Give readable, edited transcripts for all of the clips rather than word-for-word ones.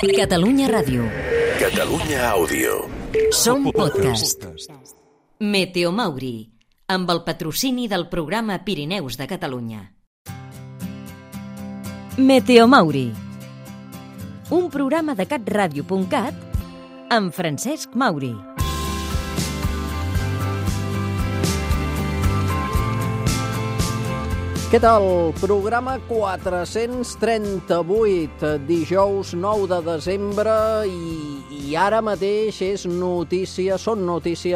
Catalunya Ràdio. Catalunya Àudio. Som podcast. Meteo Mauri, amb el patrocini del programa Pirineus de Catalunya. Meteo Mauri, un programa de catradio.cat amb Francesc Mauri. Què tal? Programa 438, dijous 9 de desembre i ara mateix són notícia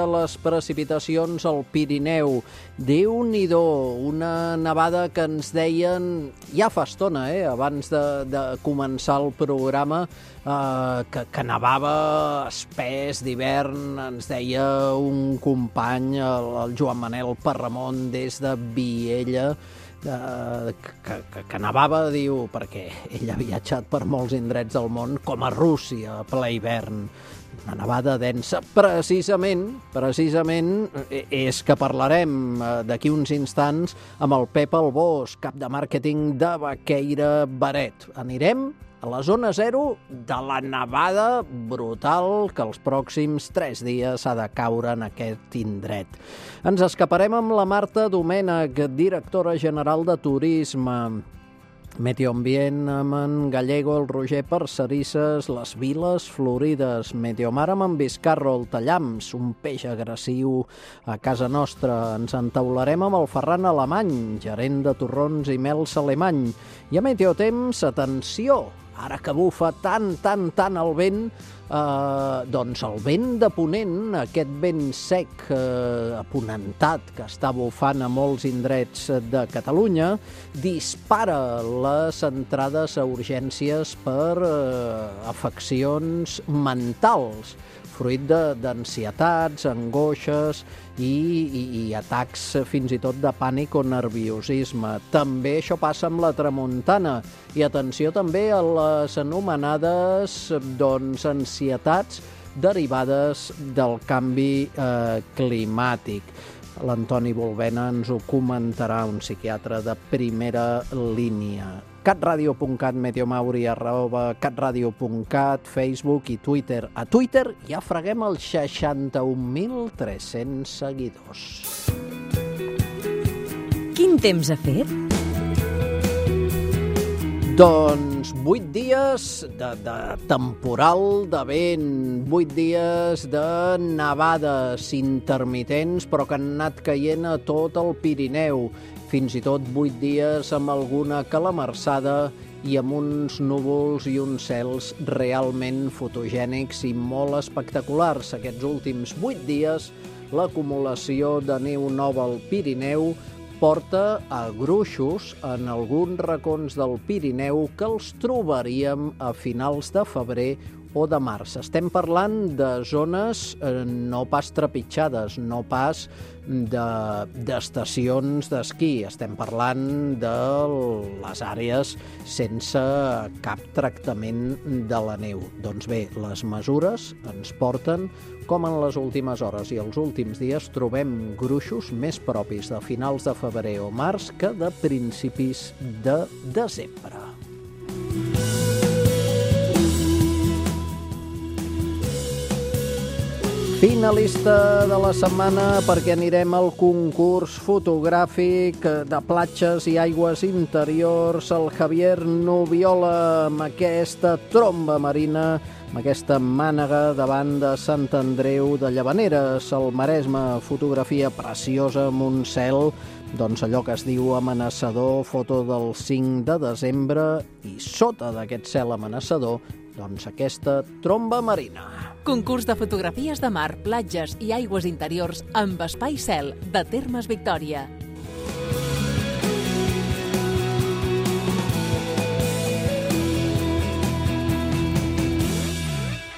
les precipitacions al Pirineu. Déu-n'hi-do, una nevada que ens deien ja fa estona, abans de començar el programa, que nevava espès d'hivern, ens deia un company, el Joan Manel Parramon, des de Viella, que nevava, diu, perquè ell ha viatjat per molts indrets del món, com a Rússia, a ple hivern. Una nevada densa. Precisament és que parlarem d'aquí uns instants amb el Pep Albós, cap de màrqueting de Baqueira Beret. Anirem a la zona zero de la nevada brutal que els pròxims 3 dies ha de caure en aquest indret. Ens escaparem amb la Marta Domènech, directora general de Turisme, Medio Ambient amb en Gallego, el Roger Parcerisses, les Viles Florides, Mediomar amb en Vizcarro, el Tallams, un peix agressiu a casa nostra. Ens entaularem amb el Ferran Alemany, gerent de torrons i mels alemany. I a Meteotemps, atenció, ara que bufa tant el vent, doncs el vent de ponent, aquest vent sec aponentat que està bufant a molts indrets de Catalunya, dispara les entrades a urgències per afeccions mentals, fruit d'ansietats, angoixes i atacs fins i tot de pànic o nerviosisme. També això passa amb la tramuntana. I atenció també a les anomenades ansietats derivades del canvi climàtic. L'Antoni Volvena ens ho comentarà, un psiquiatre de primera línia. catradio.cat, Meteomauri, @catradio.cat, Facebook i Twitter. A Twitter ja freguem els 61.300 seguidors. Quin temps ha fet? Doncs 8 dies de temporal de vent, 8 dies de nevades intermitents, però que han anat caient a tot el Pirineu. Fins i tot 8 dies amb alguna calamarsada i amb uns núvols i uns cels realment fotogènics i molt espectaculars. Aquests últims 8 dies, l'acumulació de neu nova al Pirineu porta a gruixos en alguns racons del Pirineu que els trobaríem a finals de febrer o de març. Estem parlant de zones no pas trepitjades, no pas d'estacions d'esquí. Estem parlant de les àrees sense cap tractament de la neu. Doncs bé, les mesures ens porten, com en les últimes hores i els últims dies, trobem gruixos més propis de finals de febrer o març que de principis de desembre. Finalista de la setmana, perquè anirem al concurs fotogràfic de platges i aigües interiors, el Javier Nubiola, amb aquesta tromba marina, amb aquesta mànega davant de Sant Andreu de Llavaneres, al Maresme, fotografia preciosa amb un cel, doncs allò que es diu amenaçador, foto del 5 de desembre, i sota d'aquest cel amenaçador, doncs aquesta tromba marina. Concurs de fotografies de mar, platges i aigües interiors amb espai cel de Termes Victòria.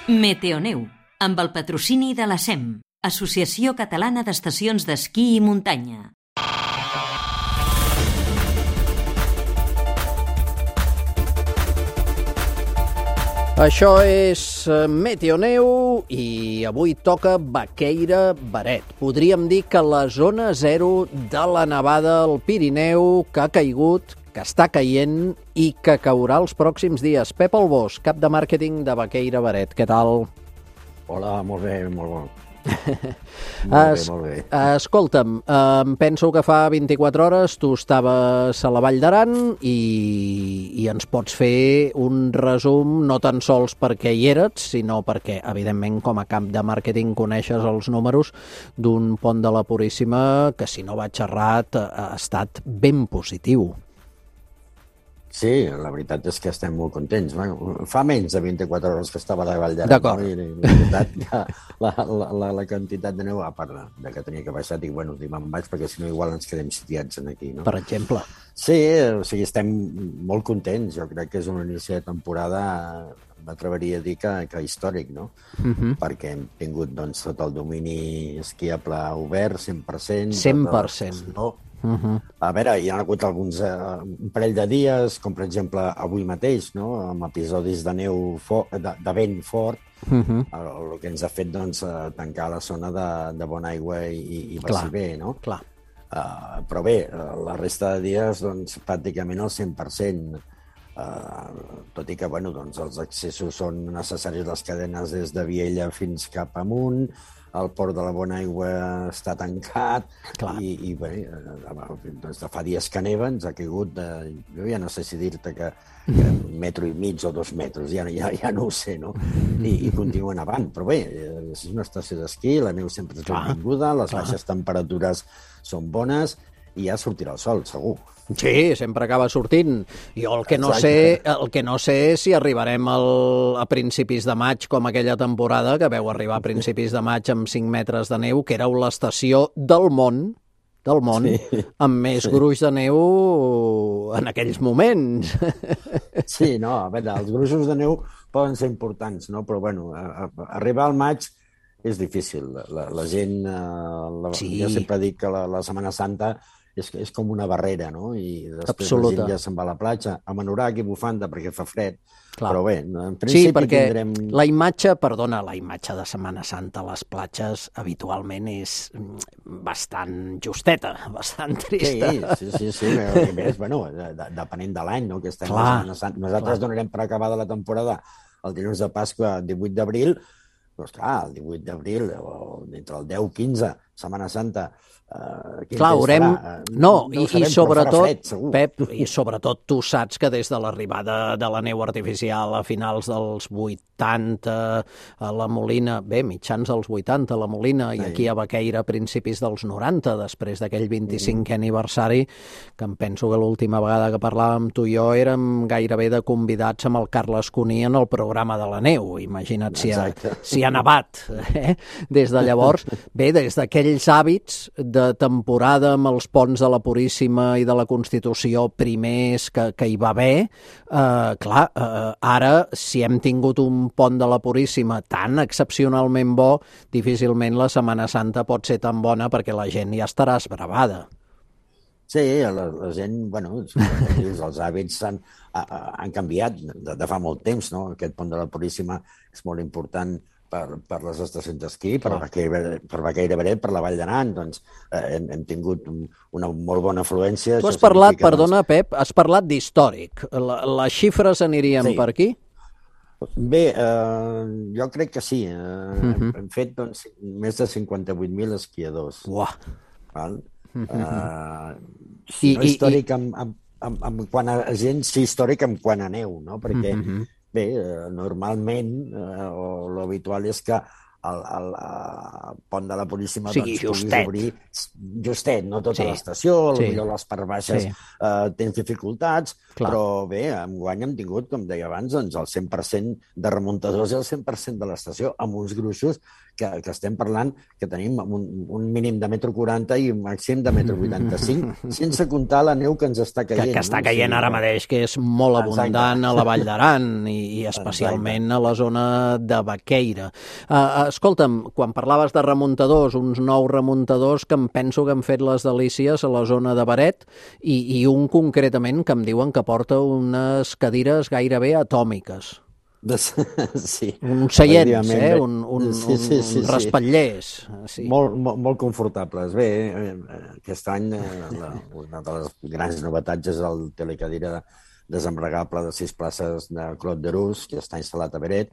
Meteoneu, amb el patrocini de la SEM, Associació Catalana d'Estacions d'Esquí i Muntanya. Això és Meteoneu i avui toca Baqueira Beret. Podríem dir que la zona zero de la nevada al Pirineu que ha caigut que està caient i que caurà els pròxims dies. Pep Albós, cap de màrqueting de Baqueira Beret. Què tal? Hola, molt bé, molt bo. Molt bé. Escolta'm, penso que fa 24 hores tu estaves a la Vall d'Aran i ens pots fer un resum, no tan sols perquè hi eres, sinó perquè, evidentment, com a cap de màrqueting coneixes els números d'un pont de la Puríssima que, si no vaig errat, ha estat ben positiu. Sí, la veritat és que estem molt contents. Bueno, fa menys de 24 hores que estava a la Vall d'Aran. D'acord. La quantitat de neu, a part de que tenia que baixar, dic, bueno, me'n vaig perquè si no igual ens quedem sitiats aquí, no? Per exemple. Sí, o sigui, estem molt contents. Jo crec que és un inici de temporada, m'atreveria a dir que històric, no? Perquè hem tingut, doncs, tot el domini esquiable obert, 100%. 100%. No? A veure, hi ha hagut alguns un parell de dies, com per exemple avui mateix, no? Amb episodis de neu de vent fort, el que ens ha fet doncs, tancar la zona de Bonaigua i Baciver, no? Clar. Però bé, la resta de dies doncs, pràcticament al 100%, tot i que bueno, doncs, els accessos són necessaris, les cadenes des de Viella fins cap amunt, el port de la Bonaigua està tancat i bé, doncs fa dies que neva, ens ha caigut, jo ja no sé si dir-te que 1,5 metres o 2 metres, ja no ho sé, no? I continua nevant, però bé, és una estació d'esquí, la neu sempre és benvinguda, les baixes temperatures són bones i ja sortirà el sol, segur. Sí, sempre acaba sortint. Jo el que no sé és si arribarem a principis de maig, com aquella temporada que veu arribar a principis de maig amb 5 metres de neu, que éreu l'estació del món, amb més gruix de neu en aquells moments. Sí, no, a veure, els gruixos de neu poden ser importants, no? Però bueno, arribar al maig és difícil. La gent, jo sempre dic que la Setmana Santa és com una barrera, no? I després la gent ja se'n va a la platja, amb anorac i bufanda perquè fa fred. Clar. Però bé, en principi perquè tindrem... la imatge de Setmana Santa a les platges habitualment és bastant justeta, bastant trista. Sí. I més, bueno, depenent de l'any, no? Que estem a Setmana Santa. Nosaltres donarem per acabada la temporada el dilluns de Pasqua, 18 d'abril, doncs clar, el 18 d'abril, o entre el 10 i 15, Setmana Santa, clar, haurem... I sobretot, Pep, i sobretot tu saps que des de l'arribada de la neu artificial a finals dels 80 a la Molina, bé, mitjans dels 80 a la Molina, i aquí a Baqueira a principis dels 90, després d'aquell 25è aniversari, que em penso que l'última vegada que parlàvem tu i jo érem gairebé de convidats amb el Carles Cuní en el programa de la neu. Imagina't si ha nevat des de llavors. Bé, des d'aquells hàbits de temporada amb els ponts de la Puríssima i de la Constitució primers que hi va haver, ara, si hem tingut un pont de la Puríssima tan excepcionalment bo, difícilment la Setmana Santa pot ser tan bona perquè la gent ja estarà esbravada. Sí, la gent, bueno, els hàbits han canviat de fa molt temps, no? Aquest pont de la Puríssima és molt important per les estacions d'esquí, per Baqueira Beret, per la Vall d'Aran, doncs hem tingut una molt bona afluència. Tu has parlat, perdona, Pep, has parlat d'històric. Les xifres anirien per aquí? Bé, jo crec que sí. Hem fet doncs, més de 58.000 esquiadors. Uah! No històric en quant a gent, sí històric en quant a neu, no? Perquè bé, normalment, l'habitual és que el pont de la Puríssima puguis obrir justet, no tota l'estació, potser les parts baixes tens dificultats, però bé, enguany hem tingut, com deia abans, el 100% de remuntadors i el 100% de l'estació, amb uns gruixos que estem parlant que tenim un mínim de 1,40 m i un màxim de 1,85 m, sense comptar la neu que ens està caient. Que està caient ara mateix, que és molt abundant a la Vall d'Aran i especialment a la zona de Baqueira. Escolta'm, quan parlaves de remuntadors, uns 9 remuntadors que em penso que han fet les delícies a la zona de Beret i un concretament que em diuen que porta unes cadires gairebé atòmiques. Sí. Uns seients, efectivament, uns raspatllers. Sí. Molt confortables. Bé, aquest any una de les grans novetats és el telecadira desembregable de 6 places de Clot de Rus, que està instal·lat a Beret,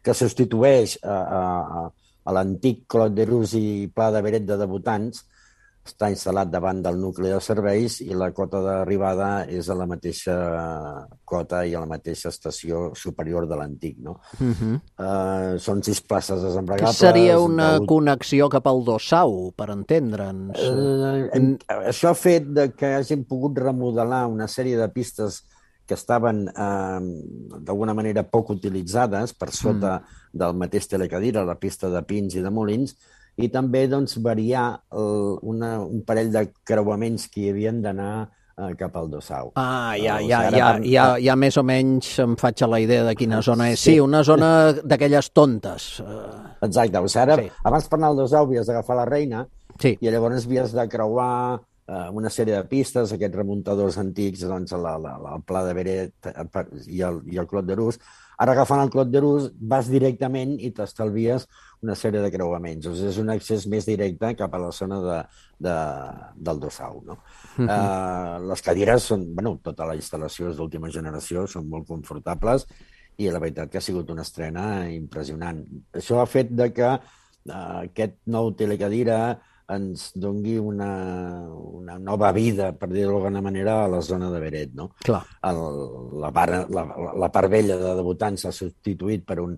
que substitueix a l'antic Clot de Rus i Pla de Beret de debutants. Està instal·lat davant del nucli de serveis i la cota d'arribada és a la mateixa cota i a la mateixa estació superior de l'antic, no? Són 6 places desembregables. Que seria una connexió cap al Dossau, per entendre'ns. Això ha fet que hagin pogut remodelar una sèrie de pistes que estaven d'alguna manera poc utilitzades per sota del mateix telecadira, la pista de Pins i de Molins, i també variar un parell de creuaments que hi havien d'anar cap al Dossau. Ja més o menys em faig a la idea de quina zona és. Sí, una zona d'aquelles tontes. Exacte. O sigui, ara, abans per anar al Dossau havies d'agafar la Reina i llavors havies de creuar una sèrie de pistes, aquests remuntadors antics, doncs el Pla de Beret i el Clot de Rus. Ara, agafant el Clot de Rus, vas directament i t'estalvies una sèrie de creuaments. O sigui, és un accés més directe cap a la zona del Dossau, no? Les cadires són, tota la instal·lació és d'última generació, són molt confortables i la veritat que ha sigut una estrena impressionant. Això ha fet que aquest nou telecadira ens doni una nova vida, per dir-ho d'alguna manera, a la zona de Beret, no? Clar. La part vella de debutants s'ha substituït per un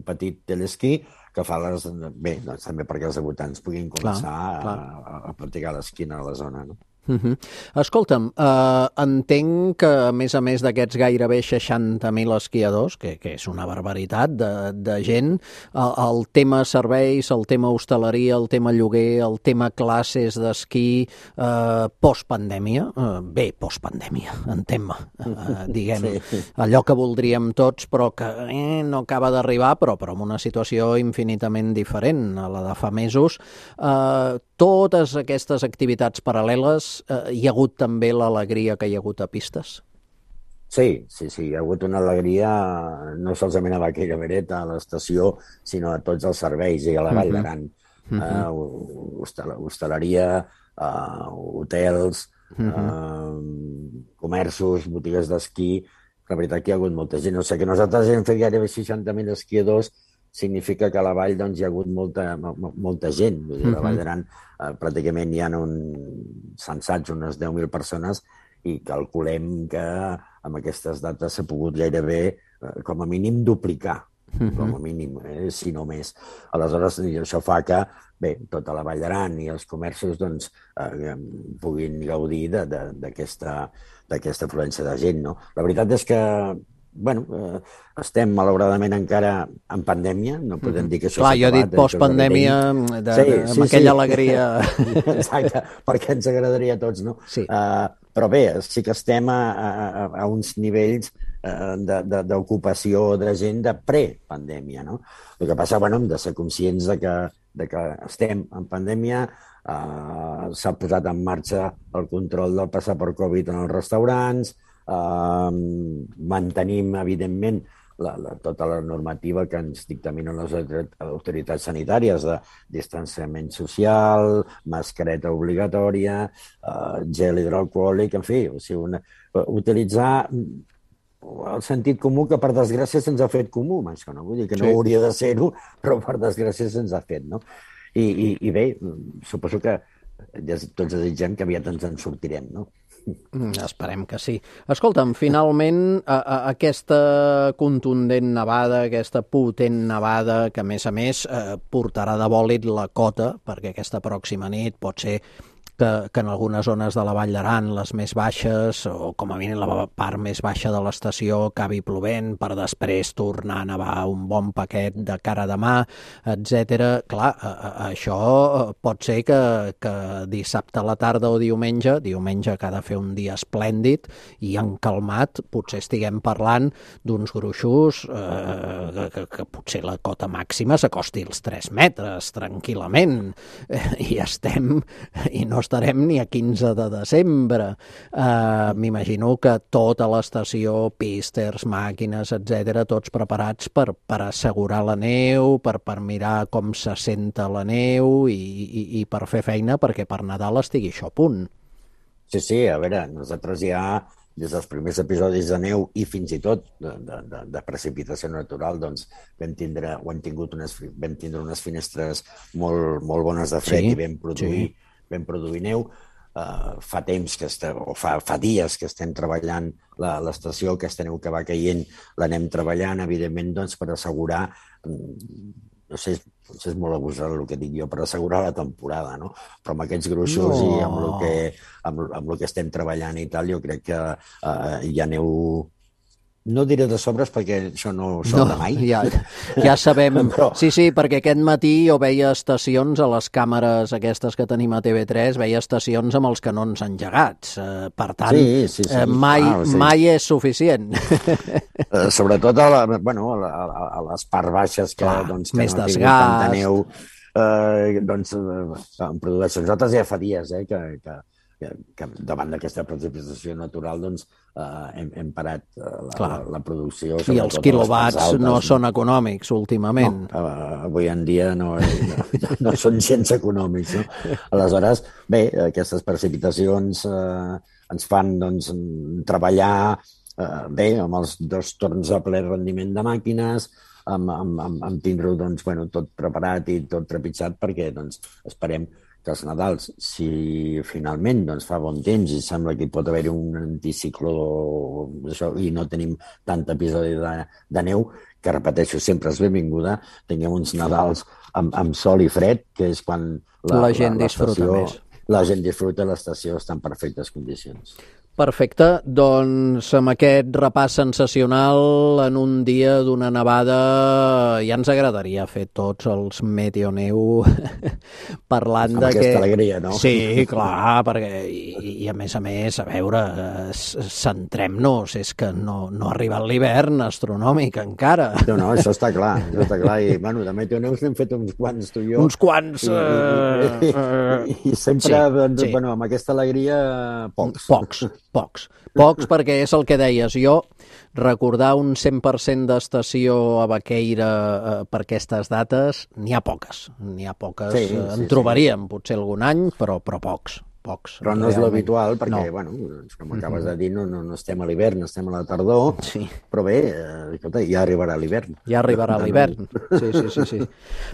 petit telesquí que fa també perquè els debutants puguin començar a practicar l'esquí a la zona, no? Escolta'm, entenc que, a més d'aquests gairebé 60.000 esquiadors, que és una barbaritat de gent, el tema serveis, el tema hostaleria, el tema lloguer, el tema classes d'esquí, postpandèmia, postpandèmia, entén-me, diguem, allò que voldríem tots, però que no acaba d'arribar, però en una situació infinitament diferent a la de fa mesos. Totes aquestes activitats paral·leles, hi ha hagut també l'alegria que hi ha hagut a pistes? Sí, hi ha hagut una alegria no solament a Vaquella Beret, a l'estació, sinó a tots els serveis i a la Vall d'Aran. Hostaleria, hotels, comerços, botigues d'esquí. La veritat que hi ha hagut molta gent. O sigui que nosaltres hem fet gairebé 60.000 esquiadors, significa que a la vall hi ha hagut molta gent. Vull dir, a la Vall d'Aran pràcticament hi ha censats unes 10.000 persones i calculem que amb aquestes dates s'ha pogut gairebé, com a mínim, duplicar, com a mínim, si no més. Aleshores, això fa que tota la Vall d'Aran i els comerços puguin gaudir d'aquesta afluència de gent, no? La veritat és que estem malauradament encara en pandèmia, no podem dir que això s'ha acabat. Clar, jo he dit postpandèmia amb aquella alegria. Exacte, perquè ens agradaria a tots, no? Però bé, sí que estem a uns nivells d'ocupació de gent de prepandèmia, no? El que passa, hem de ser conscients de que estem en pandèmia, s'ha posat en marxa el control del passaport Covid en els restaurants, mantenim, evidentment, tota la normativa que ens dictaminen les autoritats sanitàries de distanciament social, mascareta obligatòria, gel hidroalcohòlic, en fi, utilitzar el sentit comú que, per desgràcia, se'ns ha fet comú, això, no? Vull dir que no hauria de ser-ho, però per desgràcia se'ns ha fet, no? I bé, suposo que tots desitgem que aviat ens en sortirem, no? Esperem que sí. Escolta'm, finalment, aquesta contundent nevada, aquesta potent nevada, que a més portarà de bòlit la cota, perquè aquesta pròxima nit pot ser que en algunes zones de la Vall d'Aran, les més baixes, o com a mínim la part més baixa de l'estació, acabi plovent per després tornar a nevar un bon paquet de cara a demà, etc. Clar, això pot ser que dissabte a la tarda o diumenge que ha de fer un dia esplèndid i encalmat, potser estiguem parlant d'uns gruixos que potser la cota màxima s'acosti als 3 metres, tranquil·lament, i no estarem ni a 15 de desembre. M'imagino que tota l'estació, písters, màquines, etc., tots preparats per assegurar la neu, per mirar com se senta la neu i per fer feina perquè per Nadal estigui això a punt. Sí, a veure, nosaltres ja des dels primers episodis de neu i fins i tot de precipitació natural, doncs vam tindre unes finestres molt bones de fred i vam produir neu. Fa temps que fa dies que estem treballant l'estació, aquesta neu que va caient l'anem treballant, evidentment, doncs, per assegurar, no sé, potser és molt abusat el que dic jo, per assegurar la temporada, no? Però amb aquests gruixos i amb el que estem treballant i tal, jo crec que hi ha neu... No diré de sobres perquè això no sobra mai. Ja sabem. Però... Sí, perquè aquest matí jo veia estacions a les càmeres aquestes que tenim a TV3, veia estacions amb els canons engegats. Per tant, mai és suficient. Sobretot a les parts baixes que no tinguin tanta neu, en produeixen. Nosaltres ja fa dies que davant d'aquesta precipitació natural hem parat la producció. I els quilowatts no són econòmics últimament. No, avui en dia no són gens econòmics. No? Aleshores, bé, aquestes precipitacions ens fan treballar bé amb els 2 torns a ple rendiment de màquines, amb tindre-ho tot preparat i tot trepitjat perquè esperem que els Nadals, si finalment fa bon temps i sembla que hi pot haver un anticicló i no tenim tant episodi de neu, que repeteixo, sempre és benvinguda, tinguem uns Nadals amb sol i fred, que és quan la gent disfruta més. La gent disfruta, l'estació està en perfectes condicions. Perfecte, doncs amb aquest repàs sensacional en un dia d'una nevada ja ens agradaria fer tots els Meteoneu parlant amb aquesta alegria, no? Sí, clar, perquè i a més, a veure, centrem-nos, és que no ha arribat l'hivern astronòmic encara. No, això està clar, i de Meteoneus n'hem fet uns quants, tu i jo. Uns quants! I sempre, amb aquesta alegria, Pocs, perquè és el que deies. Jo, recordar un 100% d'estació a Baqueira per aquestes dates, n'hi ha poques. En trobaríem potser algun any, però pocs. Però no és l'habitual, perquè, com acabes de dir, no estem a l'hivern, estem a la tardor, però bé, ja arribarà l'hivern. Ja arribarà l'hivern, sí.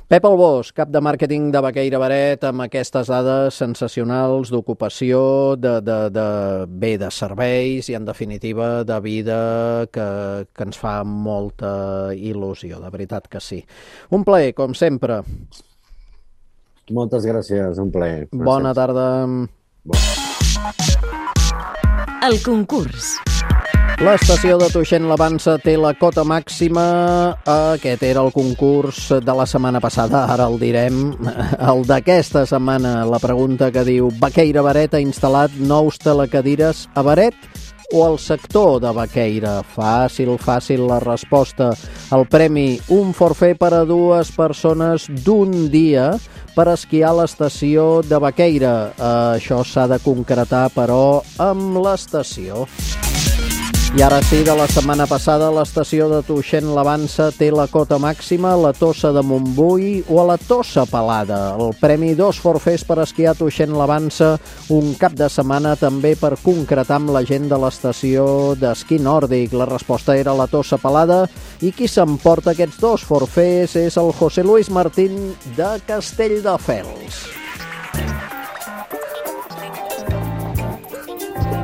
Pep Albós, cap de màrqueting de Baqueira Beret, amb aquestes dades sensacionals d'ocupació, de serveis i, en definitiva, de vida que ens fa molta il·lusió, de veritat que sí. Un plaer, com sempre. Moltes gràcies, un plaer. Bona tarda. El concurs. L'estació de Tuixén-la-Vansa té la cota màxima. Aquest era el concurs de la setmana passada, ara el direm. El d'aquesta setmana, la pregunta que diu: Baqueira Beret ha instal·lat nous telecadires a Beret o al sector de Baqueira? Fàcil la resposta. El premi, un forfait per a 2 persones d'un dia per esquiar a l'estació de Baqueira. Això s'ha de concretar, però, amb l'estació. I ara sí, de la setmana passada, l'estació de Tuixén-la-Vansa té la cota màxima a la Tossa de Montbui o a la Tossa Pelada. El premi, 2 forfets per esquiar a Tuixén-la-Vansa, un cap de setmana també per concretar amb la gent de l'estació d'esquí nòrdic. La resposta era la Tossa Pelada i qui s'emporta aquests 2 forfets és el José Luis Martín de Castelldefels.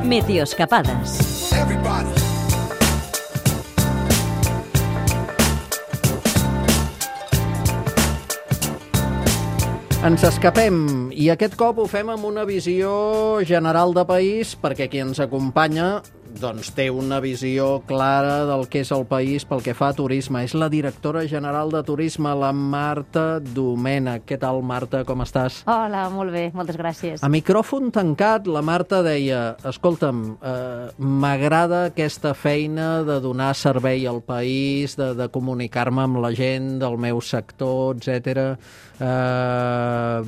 Meteoscapades. Ens escapem, i aquest cop ho fem amb una visió general de país, perquè qui ens acompanya doncs té una visió clara del que és el país pel que fa a turisme. És la directora general de turisme, la Marta Domènech. Què tal, Marta? Com estàs? Hola, molt bé, moltes gràcies. A micròfon tancat, la Marta deia: escolta'm, m'agrada aquesta feina de donar servei al país, de comunicar-me amb la gent del meu sector, etc.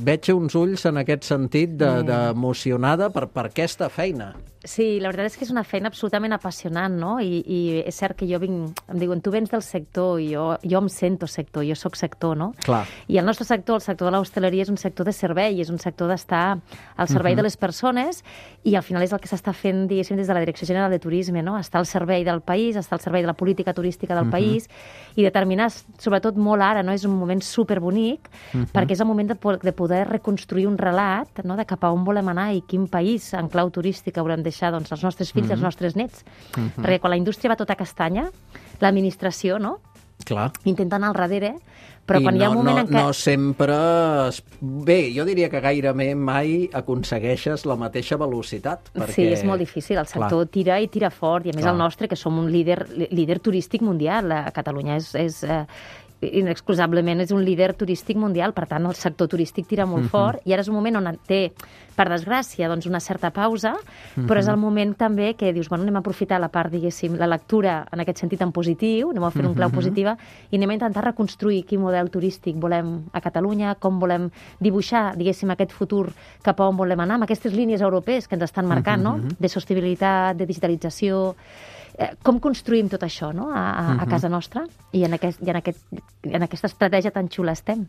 Veig uns ulls en aquest sentit d'emocionada per aquesta feina. Sí, la veritat és que és una feina absolutament apassionant, no? I és cert que jo vinc, em diuen, tu vens del sector, i jo em sento sector, jo sóc sector, no? Clar. I el nostre sector, el sector de l'hostaleria, és un sector de servei, és un sector d'estar al servei de les persones, i al final és el que s'està fent, diguéssim, des de la Direcció General de Turisme, no? Estar al servei del país, estar al servei de la política turística del país, i determinar, sobretot molt ara, no? És un moment superbonic, perquè és el moment de poder reconstruir un relat, no? De cap a on volem anar i quin país en clau turística volem deixar, doncs, els nostres fills i els nostres nets. Perquè quan la indústria va tota castanya, l'administració, no? Clar. Intenta anar al darrere, però quan hi ha un moment en què... No sempre... Bé, jo diria que gairebé mai aconsegueixes la mateixa velocitat. Perquè... Sí, és molt difícil. El sector tira i tira fort, i a més el nostre, que som un líder turístic mundial. A Catalunya és inexcusablement és un líder turístic mundial, per tant el sector turístic tira molt fort, i ara és un moment on té, per desgràcia, doncs una certa pausa, però és el moment també que dius, bueno, anem a aprofitar la part, diguéssim, la lectura en aquest sentit en positiu, anem a fer un clau positiva i anem a intentar reconstruir quin model turístic volem a Catalunya, com volem dibuixar, diguéssim, aquest futur cap a on volem anar, amb aquestes línies europees que ens estan marcant, no? De sostenibilitat, de digitalització. Com construïm tot això, no? A casa nostra, i en aquesta estratègia tan xula estem.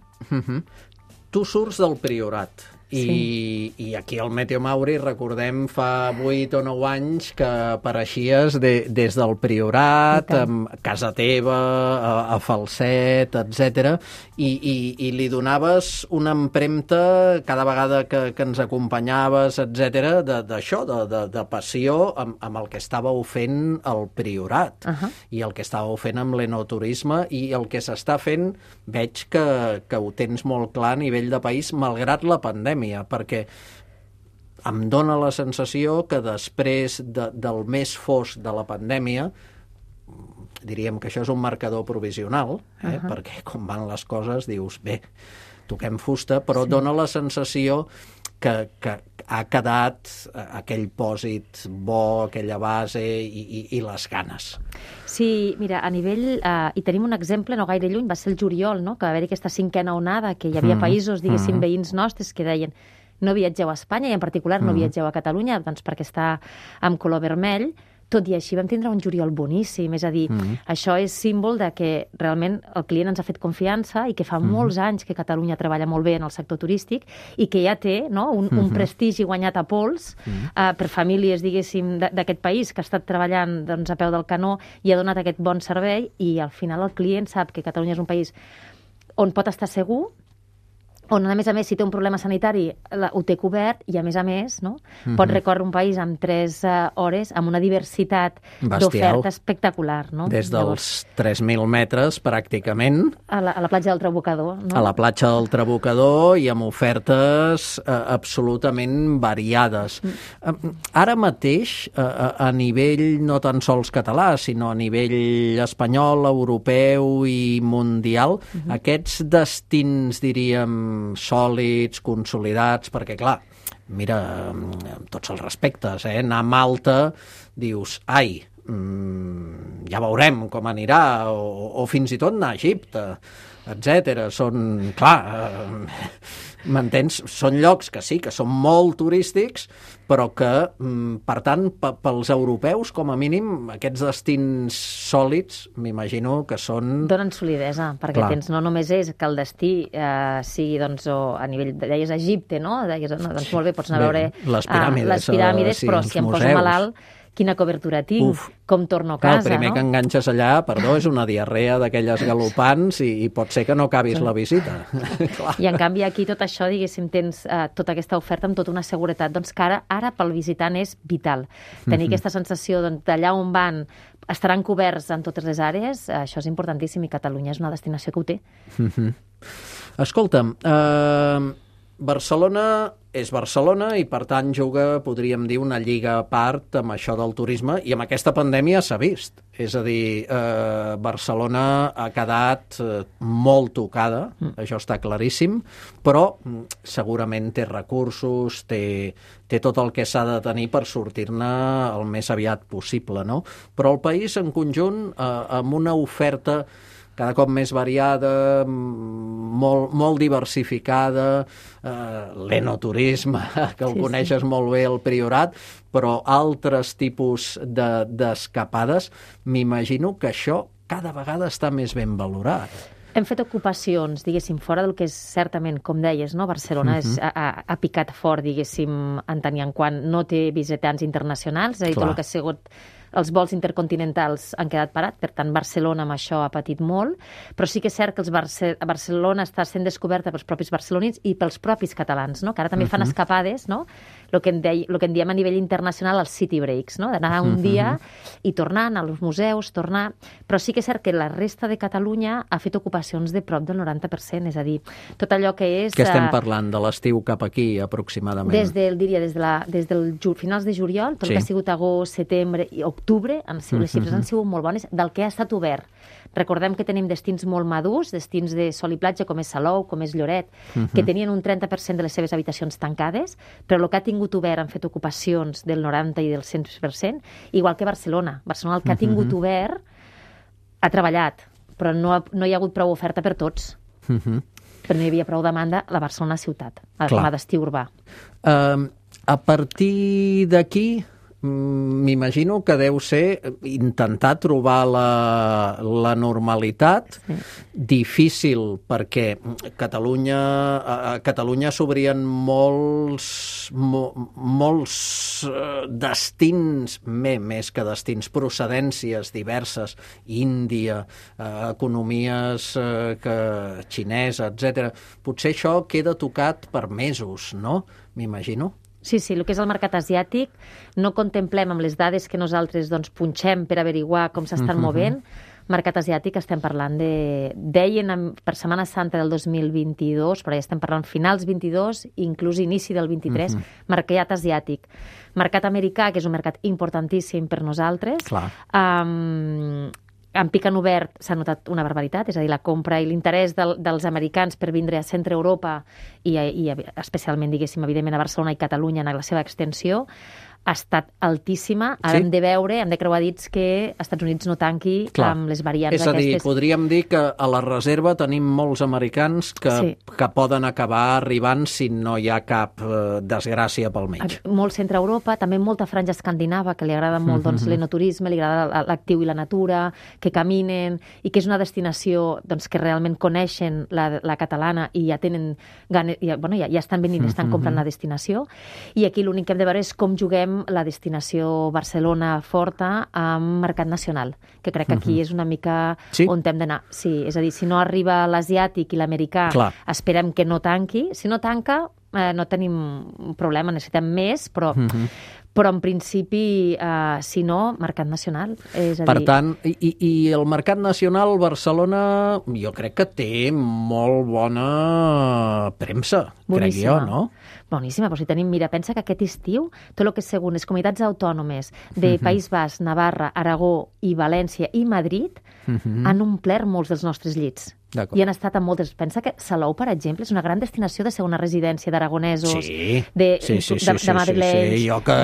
Tu surts del Priorat. I aquí al Meteo Mauri recordem fa 8 o 9 anys que apareixies des del Priorat, a casa teva, a Falset, etc. I li donaves una empremta cada vegada que ens acompanyaves, etc. d'això, de passió amb el que estàveu fent al Priorat i el que estàveu fent amb l'enoturisme, i el que s'està fent veig que ho tens molt clar a nivell de país, malgrat la pandèmia, perquè em dóna la sensació que després del més fosc de la pandèmia, diríem que això és un marcador provisional, perquè com van les coses dius, bé, toquem fusta, però dóna la sensació que ha quedat aquell pòsit bo, aquella base i les ganes. Sí, mira, a nivell... I tenim un exemple no gaire lluny, va ser el juliol, no? Que va haver-hi aquesta cinquena onada, que hi havia països, diguéssim, veïns nostres, que deien no viatgeu a Espanya, i en particular no viatgeu a Catalunya, doncs perquè està amb color vermell. Tot i així vam tindre un juliol boníssim, és a dir, això és símbol de que realment el client ens ha fet confiança i que fa molts anys que Catalunya treballa molt bé en el sector turístic i que ja té, no, un prestigi guanyat a pols per famílies, diguéssim, d'aquest país que ha estat treballant, doncs, a peu del canó i ha donat aquest bon servei, i al final el client sap que Catalunya és un país on pot estar segur, on, a més, si té un problema sanitari, ho té cobert, i, a més, no? Pot recórrer un país en 3 hores amb una diversitat d'oferta espectacular, no? Des dels 3.000 metres, pràcticament. A la platja del Trabucador, no? A la platja del Trabucador, i amb ofertes absolutament variades. Ara mateix, a nivell no tan sols català, sinó a nivell espanyol, europeu i mundial, aquests destins, diríem, sòlids, consolidats, perquè, clar, mira, amb tots els respectes, anar a Malta, dius, ai, ja veurem com anirà, o fins i tot anar a Egipte, etc. Són, clar, m'entens? Són llocs que sí, que són molt turístics, però que, per tant, pels europeus, com a mínim, aquests destins sòlids, m'imagino que són... Donen solidesa, perquè tens, no només és que el destí sigui, doncs, a nivell, deies Egipte, no? Deies, doncs molt bé, pots anar a veure les piràmides, però si em poso malalt, quina cobertura tinc, com torno a casa, el primer que enganxes allà, perdó, és una diarrea d'aquelles galopants, i pot ser que no acabis la visita. I en canvi aquí tot això, diguéssim, tens tota aquesta oferta amb tota una seguretat, doncs que ara pel visitant és vital. Tenir aquesta sensació d'allà on van estaran coberts en totes les àrees, això és importantíssim, i Catalunya és una destinació que ho té. Escolta'm, Barcelona és Barcelona i, per tant, juga, podríem dir, una lliga a part amb això del turisme, i amb aquesta pandèmia s'ha vist. És a dir, Barcelona ha quedat molt tocada, això està claríssim, però segurament té recursos, té tot el que s'ha de tenir per sortir-ne el més aviat possible, no? Però el país, en conjunt, amb una oferta cada cop més variada, molt diversificada, l'enoturisme, que el coneixes molt bé, el Priorat, però altres tipus d'escapades, m'imagino que això cada vegada està més ben valorat. Hem fet ocupacions, diguéssim, fora del que és certament, com deies, no? Barcelona ha picat fort, diguéssim, en tant i en quant no té visitants internacionals, és a dir, tot el que ha sigut els vols intercontinentals han quedat parats, per tant, Barcelona amb això ha patit molt, però sí que és cert que Barcelona està sent descoberta pels propis barcelonins i pels propis catalans, no? Que ara també fan escapades, no? El que en diem a nivell internacional els city breaks, no? D'anar un dia i tornant als museus, tornar... Però sí que és cert que la resta de Catalunya ha fet ocupacions de prop del 90%, és a dir, tot allò que és... Què estem parlant? De l'estiu cap aquí, aproximadament? Des dels finals de juliol, tot el que ha sigut agost, setembre i octubre, les xifres han sigut molt bones del que ha estat obert. Recordem que tenim destins molt madurs, destins de sol i platja, com és Salou, com és Lloret, que tenien un 30% de les seves habitacions tancades, però el que ha tingut obert han fet ocupacions del 90 i del 100%, igual que Barcelona. Barcelona, el que ha tingut obert, ha treballat, però no hi ha hagut prou oferta per tots. Però no hi havia prou demanda a la Barcelona ciutat, com a destí urbà. A partir d'aquí, m'imagino que deu ser intentar trobar la normalitat, difícil, perquè a Catalunya s'obrien molts destins, més que destins, procedències diverses, Índia, economies xinesa, etc. Potser això queda tocat per mesos, no? M'imagino. Sí, el que és el mercat asiàtic no contemplem amb les dades que nosaltres punxem per averiguar com s'estan movent. Mercat asiàtic estem parlant deien per Setmana Santa del 2022, però ja estem parlant finals 22, inclús inici del 23, mercat asiàtic. Mercat americà, que és un mercat importantíssim per nosaltres. En pic han obert s'ha notat una barbaritat, és a dir, la compra i l'interès dels americans per vindre a centre Europa i especialment, diguéssim, evidentment a Barcelona i Catalunya en la seva extensió, ha estat altíssima. Ara hem de veure, hem de creuar dits que els Estats Units no tanqui amb les variants aquestes. És a dir, podríem dir que a la reserva tenim molts americans que poden acabar arribant si no hi ha cap desgràcia pel mig. Molt centre Europa, també molta franja escandinava, que li agrada molt l'enoturisme, li agrada l'actiu i la natura, que caminen, i que és una destinació que realment coneixen la catalana i ja tenen ganes, ja estan venint, estan comprant la destinació. I aquí l'únic que hem de veure és com juguem la destinació Barcelona forta amb mercat nacional, que crec que aquí és una mica on hem d'anar. Sí, és a dir, si no arriba l'asiàtic i l'americà, esperem que no tanqui. Si no tanca, no tenim un problema, necessitem més, però en principi, si no, mercat nacional. Per tant, i el mercat nacional Barcelona jo crec que té molt bona premsa, crec jo, no? Boníssima, però si tenim, mira, pensa que aquest estiu tot el que és segons les comunitats autònomes de País Basc, Navarra, Aragó i València i Madrid han omplert molts dels nostres llits. I han estat en moltes... Pensa que Salou, per exemple, és una gran destinació de segona residència d'aragonesos, de madrilenys... Jo que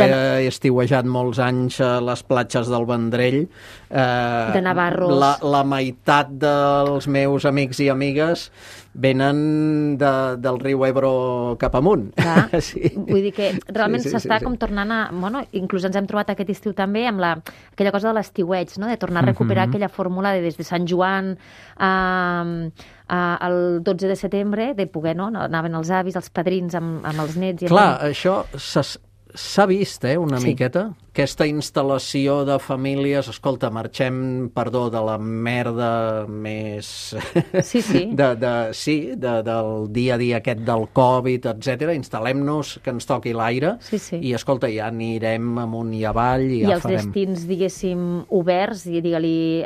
he estiuejat molts anys a les platges del Vendrell, de navarros... La meitat dels meus amics i amigues venen del riu Ebro cap amunt. Vull dir que realment s'està com tornant a... Inclús ens hem trobat aquest estiu també amb aquella cosa de l'estiueig, de tornar a recuperar aquella fórmula de des de Sant Joan al 12 de setembre, de poder, anaven els avis, els padrins amb els nets... Clar, això s'ha vist, una miqueta, aquesta instal·lació de famílies, escolta, marxem, perdó, de la merda més... Sí. del dia a dia aquest del Covid, etc. Instal·lem-nos, que ens toqui l'aire, i escolta, ja anirem amunt i avall i ja farem... I els destins, diguéssim, oberts, digue-li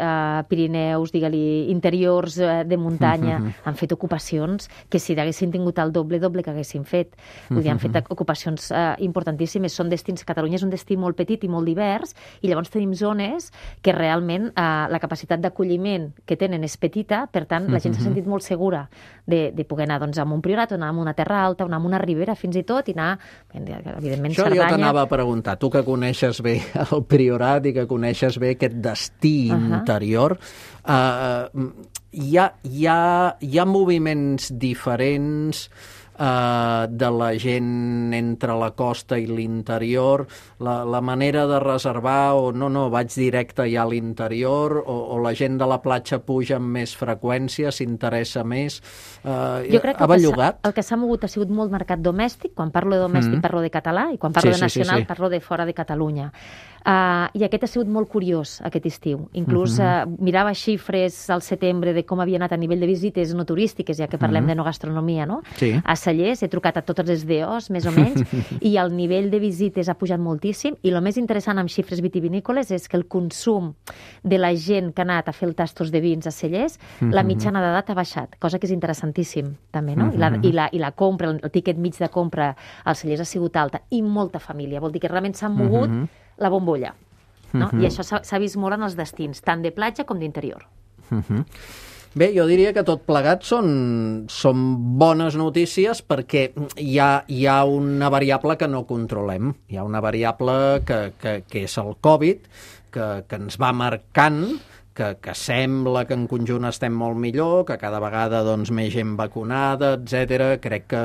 Pirineus, digue-li interiors de muntanya, han fet ocupacions que si haguessin tingut el doble que haguessin fet. Vull dir, han fet ocupacions importantíssimes. Són destins, Catalunya és un destí molt petit i molt divers, i llavors tenim zones que realment la capacitat d'acolliment que tenen és petita, per tant, la gent s'ha sentit molt segura de poder anar doncs, a un priorat, o anar a una terra alta, o anar a una ribera, fins i tot, i anar, evidentment, Això Cerdanya... jo t'anava a preguntar, tu que coneixes bé el priorat i que coneixes bé aquest destí interior, hi ha moviments diferents de la gent entre la costa i l'interior, la manera de reservar, o no, vaig directe ja a l'interior, o la gent de la platja puja amb més freqüència, s'interessa més. Jo crec que el que s'ha mogut ha sigut molt mercat domèstic. Quan parlo de domèstic parlo de català, i quan parlo de nacional parlo de fora de Catalunya. I aquest ha sigut molt curiós, aquest estiu. Inclús mirava xifres al setembre de com havia anat a nivell de visites no turístiques, ja que parlem de no gastronomia, no? Sí. A Cellers he trucat a totes les DOs, més o menys, i el nivell de visites ha pujat moltíssim, i el més interessant amb xifres vitivinícoles és que el consum de la gent que ha anat a fer el tastos de vins a Cellers, la mitjana d'edat ha baixat, cosa que és interessantíssim, també, no? I la compra, el tíquet mig de compra als Cellers ha sigut alta, i molta família. Vol dir que realment s'ha mogut la bombolla, no? I això s'ha vist molt en els destins, tant de platja com d'interior. Bé, jo diria que tot plegat són bones notícies, perquè hi ha una variable que no controlem. Hi ha una variable que és el Covid, que ens va marcant, que sembla que en conjunt estem molt millor, que cada vegada doncs, més gent vacunada, etc. Crec que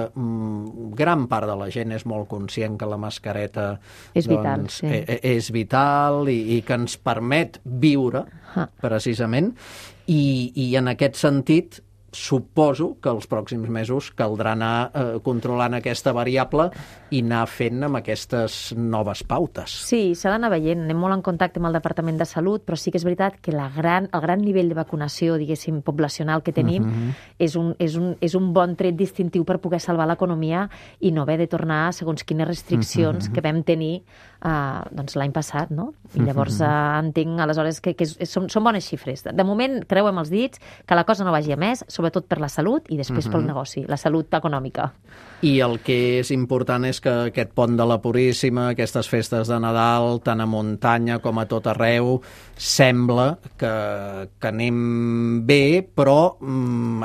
gran part de la gent és molt conscient que la mascareta és vital, és vital i que ens permet viure, precisament, i en aquest sentit suposo que els pròxims mesos caldrà anar controlant aquesta variable i anar fent amb aquestes noves pautes. Sí, s'ha d'anar veient. Anem molt en contacte amb el Departament de Salut, però sí que és veritat que el gran nivell de vacunació, diguéssim, poblacional que tenim és un bon tret distintiu per poder salvar l'economia i no haver de tornar a segons quines restriccions que vam tenir doncs l'any passat, no? I llavors entenc aleshores que són bones xifres. De moment creuem els dits que la cosa no vagi a més, sobretot per la salut i després pel negoci, la salut econòmica. I el que és important és que aquest pont de la Puríssima, aquestes festes de Nadal, tant a muntanya com a tot arreu, sembla que anem bé, però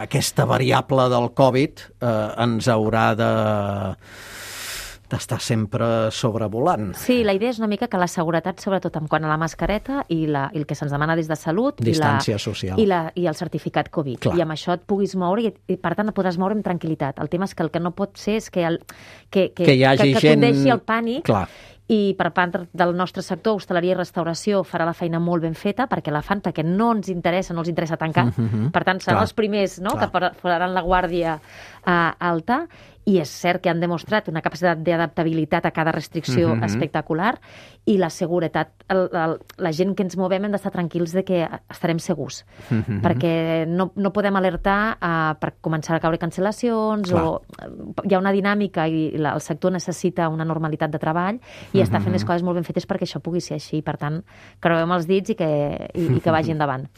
aquesta variable del Covid ens haurà d'estar sempre sobrevolant. Sí, la idea és una mica que la seguretat, sobretot en quant a la mascareta i el que se'ns demana des de Salut, distància social i el certificat Covid. Clar. I amb això et puguis moure i per tant et podràs moure amb tranquil·litat. El tema és que el que no pot ser és que hi hagi gent... condeixi el pànic. Clar. I per part del nostre sector, hostaleria i restauració, farà la feina molt ben feta perquè no ens interessa, no els interessa tancar. Per tant, seran els primers, no?, que faran la guàrdia alta, i és cert que han demostrat una capacitat d'adaptabilitat a cada restricció espectacular, i la seguretat, la gent que ens movem hem d'estar tranquils de que estarem segurs, perquè no podem alertar per començar a caure cancel·lacions, o hi ha una dinàmica i el sector necessita una normalitat de treball, i està fent les coses molt ben fetes perquè això pugui ser així. Per tant, creuem els dits i que vagi endavant.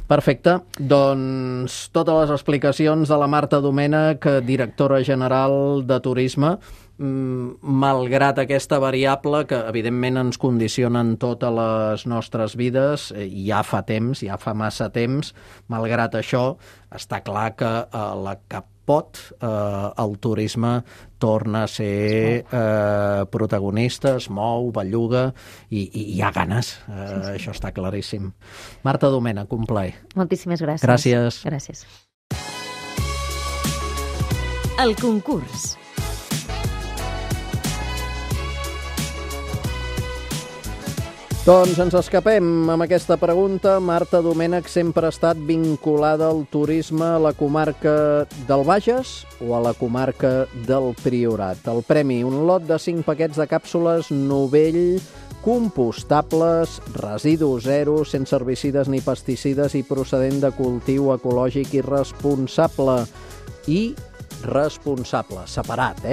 Perfecte. Doncs totes les explicacions de la Marta Domènech, directora general de Turisme, malgrat aquesta variable que evidentment ens condiciona en totes les nostres vides, ja fa temps, ja fa massa temps, malgrat això, està clar que la que pot, el turisme torna a ser protagonista, es mou, belluga i hi ha ganes. Això està claríssim. Marta Domènech, un plaer. Moltíssimes gràcies. Gràcies. Gràcies. El concurs. Doncs ens escapem amb aquesta pregunta. Marta Domènech sempre ha estat vinculada al turisme a la comarca del Bages o a la comarca del Priorat. El premi, un lot de 5 paquets de càpsules Novell compostables, residu zero, sense herbicides ni pesticides i procedent de cultiu ecològic i responsable. I responsable, separat,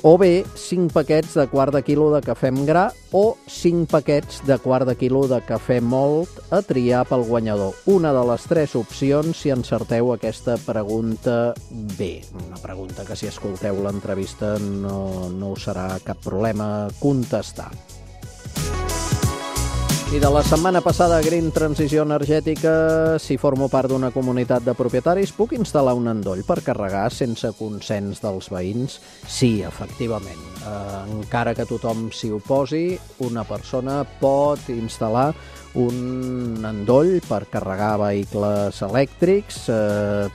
O bé 5 paquets de quart de quilo de cafè amb gra o 5 paquets de quart de quilo de cafè mòlt a triar pel guanyador. Una de les 3 opcions si encerteu aquesta pregunta bé. Una pregunta que si escolteu l'entrevista no us serà cap problema contestar. I de la setmana passada, Green Transició Energètica, si formo part d'una comunitat de propietaris, puc instal·lar un endoll per carregar sense consens dels veïns? Sí, efectivament. Encara que tothom s'hi oposi, una persona pot instal·lar un endoll per carregar vehicles elèctrics,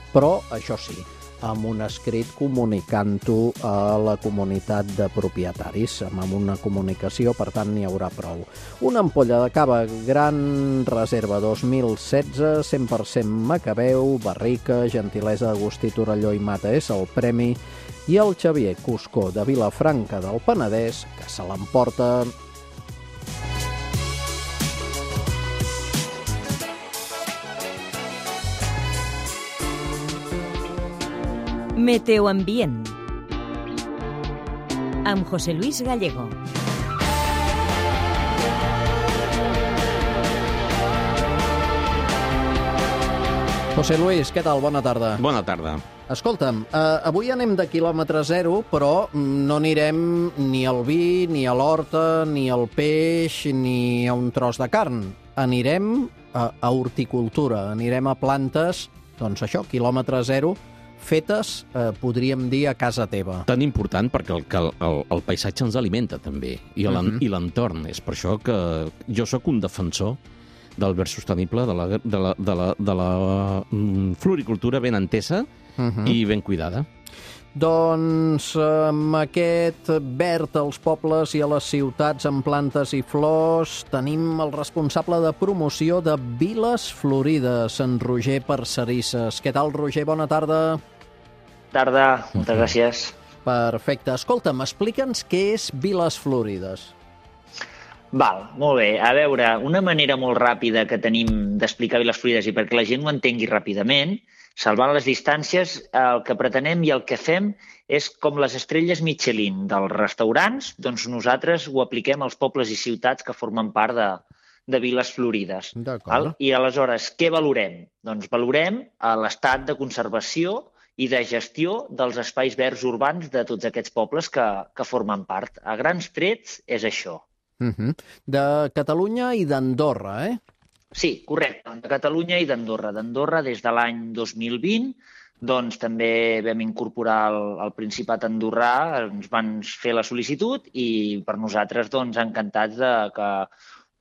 però, això sí, amb un escrit comunicant-ho a la comunitat de propietaris. Amb una comunicació, per tant, n'hi haurà prou. Una ampolla de cava Gran Reserva 2016, 100% Macabeu, barrica, gentilesa d'Agustí Torelló i Mata és el premi, i el Xavier Cuscó de Vilafranca del Penedès, que se l'emporta. Meteoambient amb José Luis Gallego. José Luis, què tal? Bona tarda. Bona tarda. Escolta'm, avui anem de quilòmetre zero, però no anirem ni al vi, ni a l'horta, ni al peix, ni a un tros de carn. Anirem a horticultura, anirem a plantes, doncs això, quilòmetre zero, fetes, podríem dir, a casa teva. Tan important perquè el paisatge ens alimenta també, i l'entorn. És per això que jo sóc un defensor del verd sostenible, de la floricultura ben entesa i ben cuidada. Doncs amb aquest verd als pobles i a les ciutats amb plantes i flors tenim el responsable de promoció de Viles Florides, en Roger Parcerisses. Què tal, Roger? Bona tarda. Tarda, moltes gràcies. Perfecte. Escolta'm, explica'ns què és Viles Florides. Val, molt bé. A veure, una manera molt ràpida que tenim d'explicar Viles Florides i perquè la gent ho entengui ràpidament, salvant les distàncies, el que pretenem i el que fem és com les estrelles Michelin dels restaurants, doncs nosaltres ho apliquem als pobles i ciutats que formen part de Viles Florides. D'acord. I aleshores, què valorem? Doncs valorem l'estat de conservació i de gestió dels espais verds urbans de tots aquests pobles que formen part. A grans trets és això. De Catalunya i d'Andorra, Sí, correcte, de Catalunya i d'Andorra. D'Andorra, des de l'any 2020, doncs també vam incorporar el Principat andorrà, ens van fer la sol·licitud i per nosaltres doncs encantats que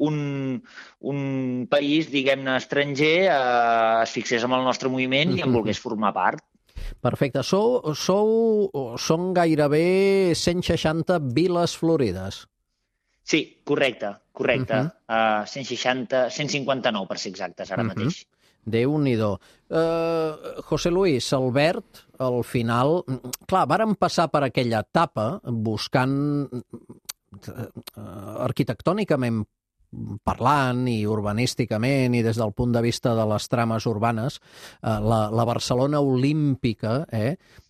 un país, diguem-ne, estranger es fixés en el nostre moviment i en volgués formar part. Perfecte. Són gairebé 160 Viles Florides. Sí, correcte. 160, 159 per ser exactes ara mateix. Déu-n'hi-do. José Luis, el verd, al final... Clar, vàrem passar per aquella etapa buscant arquitectònicament parlant i urbanísticament i des del punt de vista de les trames urbanes, la Barcelona olímpica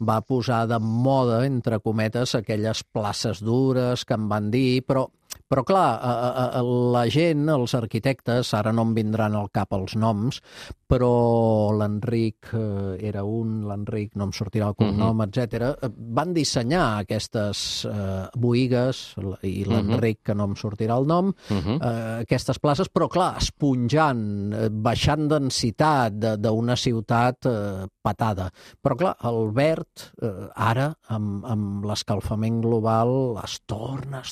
va posar de moda, entre cometes, aquelles places dures que en van dir, però clar, la gent, els arquitectes, ara no em vindran al cap els noms, però l'Enric era l'Enric, no em sortirà el cognom, etc. Van dissenyar aquestes boigues, i l'Enric, que no em sortirà el nom, aquestes places, però clar, esponjant, baixant densitat d'una ciutat patada. Però clar, el verd, ara, amb l'escalfament global, es torna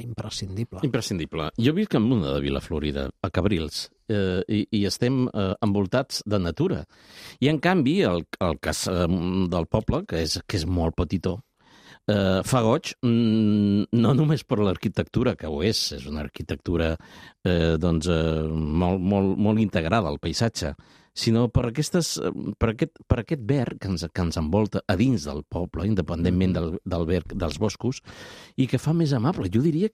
imprescindible. Imprescindible. Jo visc en una de Vilaflorida, a Cabrils, i estem envoltats de natura. I, en canvi, el cas del poble, que és molt petitó, fa goig, no només per l'arquitectura, que ho és una arquitectura molt integrada al paisatge, sinó per aquest verd que ens envolta a dins del poble, independentment del verd dels boscos, i que fa més amable. Jo diria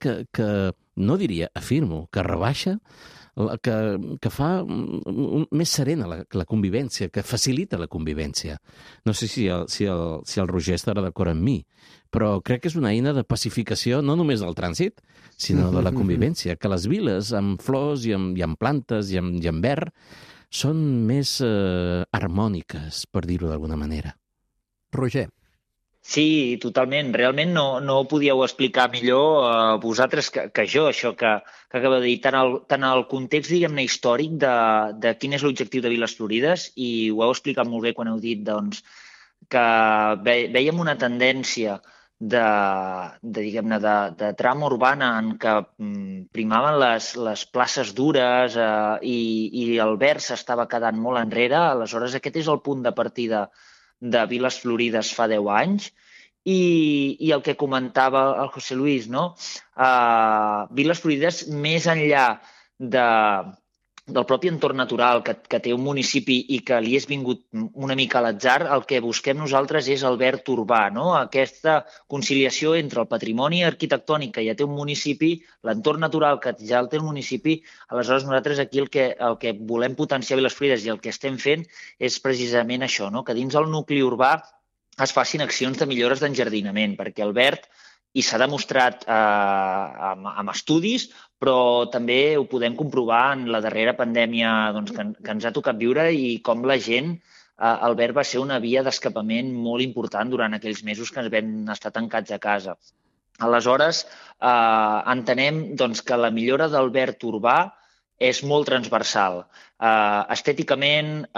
afirmo, que rebaixa, que fa més serena la convivència, que facilita la convivència. No sé si el Roger estarà d'acord amb mi, però crec que és una eina de pacificació no només del trànsit, sinó de la convivència, que les viles amb flors i amb plantes i amb verd són més harmòniques, per dir-ho d'alguna manera. Roger. Sí, totalment. Realment no ho podíeu explicar millor vosaltres que jo, això que acaba de dir, tant el context, diguem-ne, històric de quin és l'objectiu de Viles Florides, i ho heu explicat molt bé quan heu dit doncs, que veiem una tendència de trama urbana en què primaven les places dures i el verd s'estava quedant molt enrere. Aleshores, aquest és el punt de partida de Viles Florides fa 10 anys, i el que comentava el José Luis, no? Viles Florides, més enllà del propi entorn natural que té un municipi i que li és vingut una mica a l'atzar, el que busquem nosaltres és el verd urbà, no? Aquesta conciliació entre el patrimoni arquitectònic que ja té un municipi, l'entorn natural que ja el té el municipi. Aleshores, nosaltres aquí el que volem potenciar a Viles Florides i el que estem fent és precisament això, no? Que dins el nucli urbà es facin accions de millores d'enjardinament, perquè el verd, i s'ha demostrat amb estudis, però també ho podem comprovar en la darrera pandèmia que ens ha tocat viure, i com la gent, el verd va ser una via d'escapament molt important durant aquells mesos que ens vam estar tancats a casa. Aleshores, entenem que la millora del verd urbà és molt transversal. Estèticament,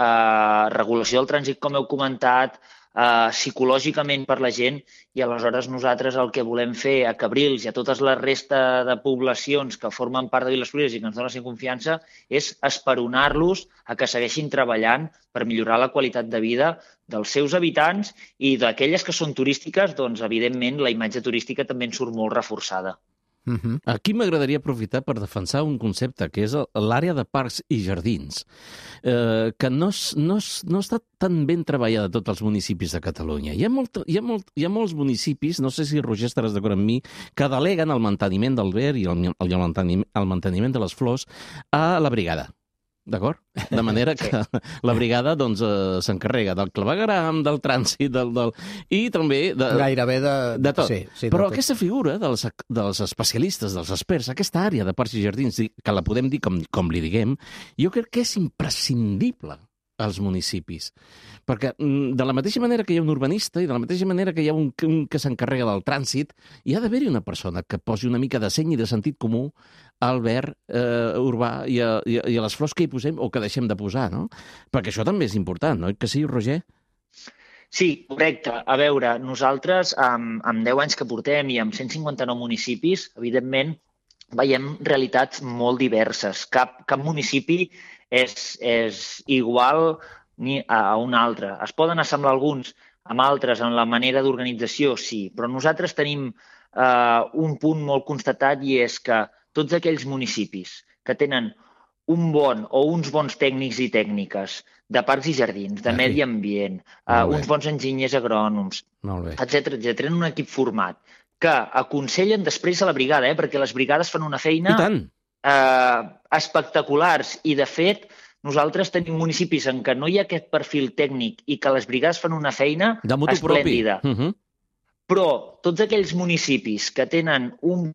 regulació del trànsit, com heu comentat, psicològicament per la gent, i aleshores nosaltres el que volem fer a Cabrils i a tota la resta de poblacions que formen part de Viles Florides i que ens donen confiança és esperonar-los a que segueixin treballant per millorar la qualitat de vida dels seus habitants, i d'aquelles que són turístiques, doncs evidentment la imatge turística també en surt molt reforçada. Aquí m'agradaria aprofitar per defensar un concepte, que és l'àrea de parcs i jardins, que no està tan ben treballada a tots els municipis de Catalunya. Hi ha molts municipis, no sé si Roger estaràs d'acord amb mi, que deleguen el manteniment del verd i el manteniment de les flors a la brigada. D'acord? De manera que la brigada s'encarrega del clavegueram, del trànsit, i també gairebé de tot. Sí, però aquesta figura dels especialistes, dels experts, aquesta àrea de parcs i jardins, que la podem dir com li diguem, jo crec que és imprescindible als municipis. Perquè de la mateixa manera que hi ha un urbanista i de la mateixa manera que hi ha un que s'encarrega del trànsit, hi ha d'haver-hi una persona que posi una mica de seny i de sentit comú al verd urbà i a les flors que hi posem o que deixem de posar, no? Perquè això també és important, no? Que sí, Roger? Sí, correcte. A veure, nosaltres, amb 10 anys que portem i amb 159 municipis, evidentment, veiem realitats molt diverses. Cap municipi és igual ni a un altre. Es poden assemblar alguns amb altres en la manera d'organització, sí, però nosaltres tenim un punt molt constatat, i és que tots aquells municipis que tenen un bon o uns bons tècnics i tècniques de parcs i jardins, de medi ambient, uns bons enginyers agrònoms, etc., tenen un equip format que aconsellen després a la brigada, perquè les brigades fan una feina espectaculars, i de fet nosaltres tenim municipis en què no hi ha aquest perfil tècnic i que les brigades fan una feina esplèndida. Però tots aquells municipis que tenen un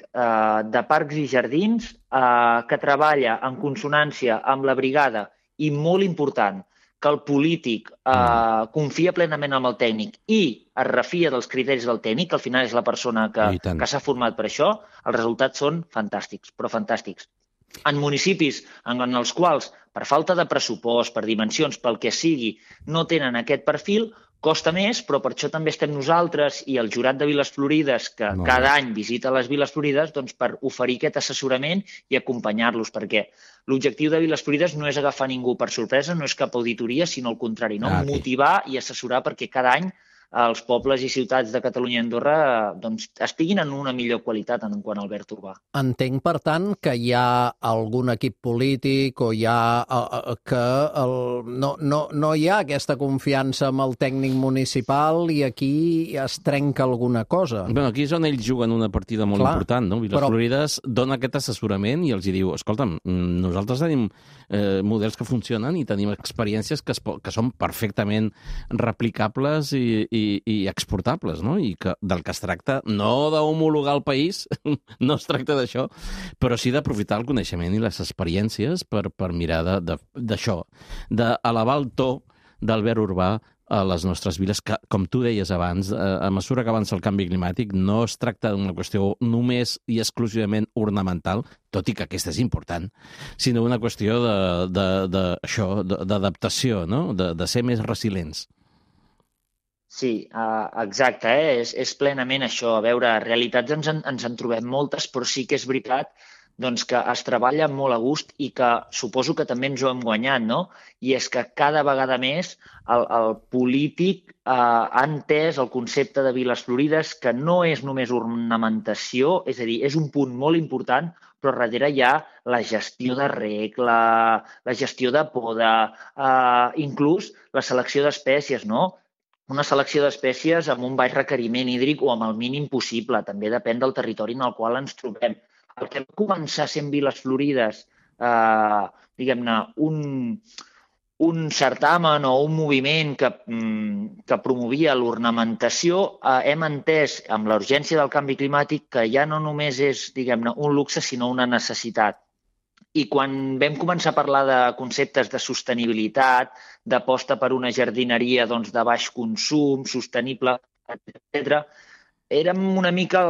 de parcs i jardins que treballa en consonància amb la brigada, i molt important, que el polític confia plenament en el tècnic i es refia dels criteris del tècnic, que al final és la persona que s'ha format per això, els resultats són fantàstics, però fantàstics. En municipis en els quals, per falta de pressupost, per dimensions, pel que sigui, no tenen aquest perfil, costa més, però per això també estem nosaltres i el jurat de Viles Florides, que cada any visita les Viles Florides, doncs per oferir aquest assessorament i acompanyar-los, perquè l'objectiu de Viles Florides no és agafar ningú per sorpresa, no és cap auditoria, sinó al contrari, motivar i assessorar perquè cada any els pobles i ciutats de Catalunya i Andorra doncs, estiguin en una millor qualitat en quant al verd urbà. Entenc, per tant, que hi ha algun equip polític o hi ha no hi ha aquesta confiança amb el tècnic municipal i aquí es trenca alguna cosa. Bueno, aquí és on ells juguen una partida molt important, no? Viles Florides dona aquest assessorament i els diu, escolta'm, nosaltres tenim models que funcionen i tenim experiències que són perfectament replicables i exportables, no? I que del que es tracta, no d'homologar el país, no es tracta d'això, però sí d'aprofitar el coneixement i les experiències per mirar d'això, d'elevar el to del verd urbà a les nostres viles, que, com tu deies abans, a mesura que avança el canvi climàtic, no es tracta d'una qüestió només i exclusivament ornamental, tot i que aquesta és important, sinó una qüestió d'adaptació, no? De ser més resilients. Sí, exacte, és plenament això. A veure, realitats ens en trobem moltes, però sí que és veritat doncs, que es treballa molt a gust i que suposo que també ens ho hem guanyat, no? I és que cada vegada més el polític ha entès el concepte de Viles Florides, que no és només ornamentació, és a dir, és un punt molt important, però darrere hi ha la gestió de reg, la gestió de poda, inclús la selecció d'espècies, no? Una selecció d'espècies amb un baix requeriment hídric o amb el mínim possible. També depèn del territori en el qual ens trobem. El que va començar sent Viles Florides, diguem-ne, un certamen o un moviment que promovia l'ornamentació, hem entès amb la urgència del canvi climàtic que ja no només és, diguem-ne, un luxe, sinó una necessitat. I quan vam començar a parlar de conceptes de sostenibilitat, d'aposta per una jardineria doncs, de baix consum, sostenible, etc., érem una mica,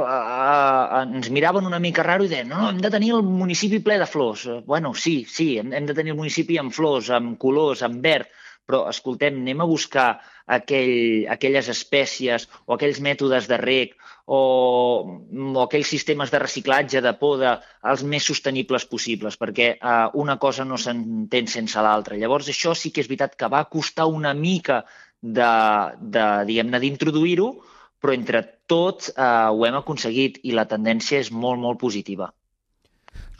ens miraven una mica raro i deien, no, hem de tenir el municipi ple de flors. Bueno, sí, hem de tenir el municipi amb flors, amb colors, amb verd, però, escoltem, anem a buscar aquelles espècies o aquells mètodes de reg o aquells sistemes de reciclatge, de poda, els més sostenibles possibles, perquè una cosa no s'entén sense l'altra. Llavors, això sí que és veritat que va costar una mica d'introduir-ho, però entre tots ho hem aconseguit i la tendència és molt, molt positiva.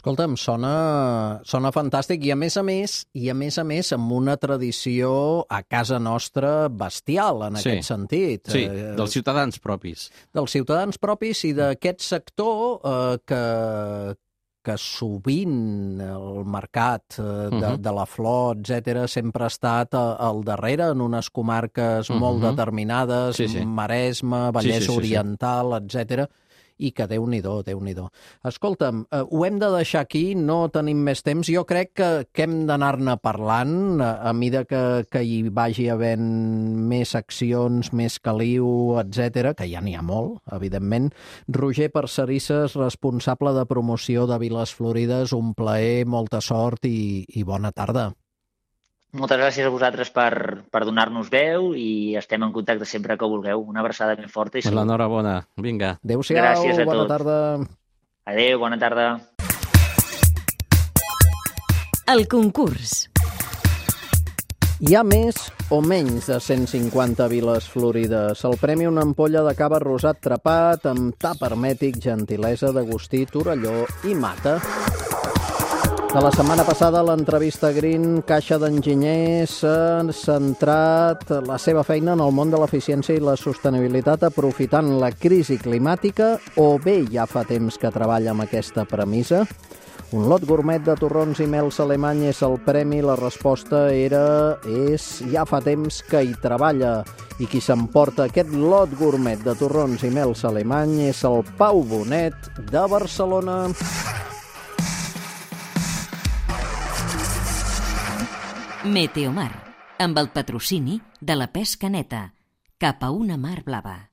Escolta'm, sona fantàstic i a més a més amb una tradició a casa nostra bestial en aquest sentit. Sí, dels ciutadans propis. Dels ciutadans propis i d'aquest sector que sovint el mercat de la flor, etc., sempre ha estat al darrere en unes comarques molt determinades, Maresme, Vallès Oriental, etc., i que Déu-n'hi-do, Déu-n'hi-do. Escolta'm, ho hem de deixar aquí, no tenim més temps. Jo crec que hem d'anar-ne parlant a mida que hi vagi havent més accions, més caliu, etc., que ja n'hi ha molt, evidentment. Roger Parcerisses, responsable de promoció de Viles Florides, un plaer, molta sort i bona tarda. Moltes gràcies a vosaltres per donar-nos veu i estem en contacte sempre que vulgueu. Una abraçada ben forta i salut. L'enhorabona. Vinga. Adéu-siau, bona tarda. Adéu, bona tarda. El concurs. Hi ha més o menys de 150 Viles Florides. El premi una ampolla de cava rosat trepat amb tap hermètic, gentilesa d'Agustí Torelló i Mata. De la setmana passada, l'entrevista Green, Caixa d'Enginyers, s'ha centrat la seva feina en el món de l'eficiència i la sostenibilitat aprofitant la crisi climàtica o bé ja fa temps que treballa amb aquesta premissa? Un lot gourmet de torrons i mels alemany és el premi. La resposta és ja fa temps que hi treballa. I qui s'emporta aquest lot gourmet de torrons i mels alemany és el Pau Bonet de Barcelona. Meteomar, amb el patrocini de la pesca neta, cap a una mar blava.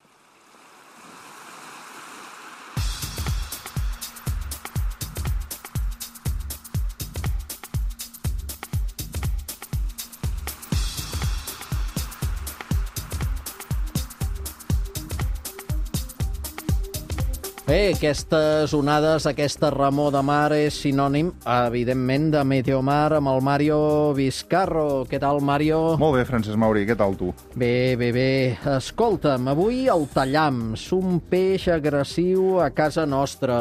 Bé, aquestes onades, aquesta remor de mar és sinònim, evidentment, de Meteomar amb el Mario Vizcarro. Què tal, Mario? Molt bé, Francesc Mauri, què tal tu? Bé. Escolta'm, avui el tallams, un peix agressiu a casa nostra.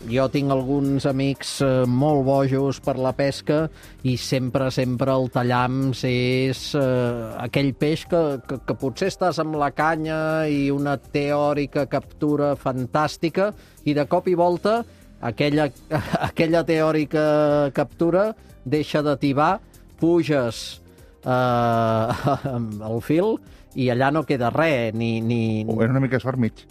Jo tinc alguns amics molt bojos per la pesca i sempre el tallams és aquell peix que potser estàs amb la canya i una teòrica captura fantàstica i de cop i volta aquella teòrica captura deixa de tibar, puges el fil i allà no queda res, ni... O és una mica sort mig.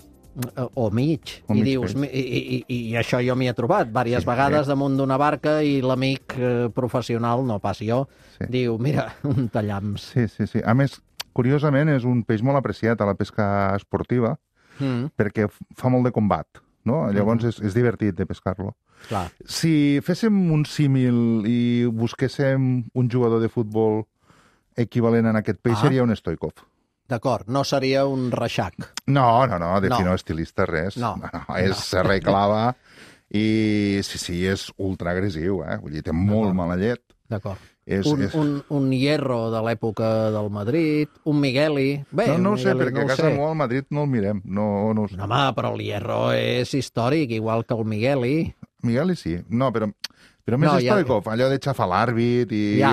O mig. I dius, i això jo m'hi he trobat diverses vegades damunt d'una barca i l'amic professional, no pas jo, diu, mira, un tallams. Sí. A més, curiosament, és un peix molt apreciat a la pesca esportiva perquè fa molt de combat, no? Llavors és divertit de pescar-lo. Clar. Si féssim un símil i busquéssim un jugador de futbol equivalent a aquest peix, seria un Stoikov. D'acord, no seria un reixac. No, no estilista, res. No, és serra i clava i sí, és ultra agressiu, Vull dir, té molt mala llet. D'acord. Un Hierro de l'època del Madrid, un Migueli... Bé, no ho sé, perquè a casa al Madrid no el mirem. No ho sé. Home, però el Hierro és històric, igual que el Migueli. Migueli sí, no, però més Stoikov, allò de xafar l'àrbit i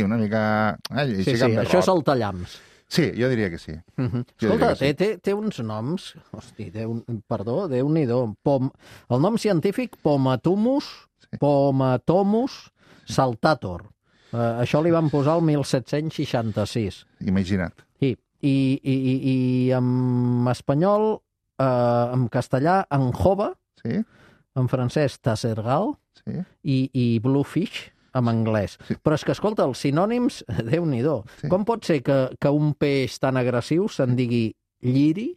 una mica... Sí, això és el tallams. Sí, jo diria que sí. Escolta, té uns noms... Hosti, Déu-n'hi-do. El nom científic, Pomatomus saltator. Això li van posar el 1766. Imagina't. I en espanyol, en castellà, Anjova, en francès, Tassergal, i Bluefish, en anglès. Però és que, escolta, els sinònims, Déu-n'hi-do. Com pot ser que un peix tan agressiu se'n digui lliri?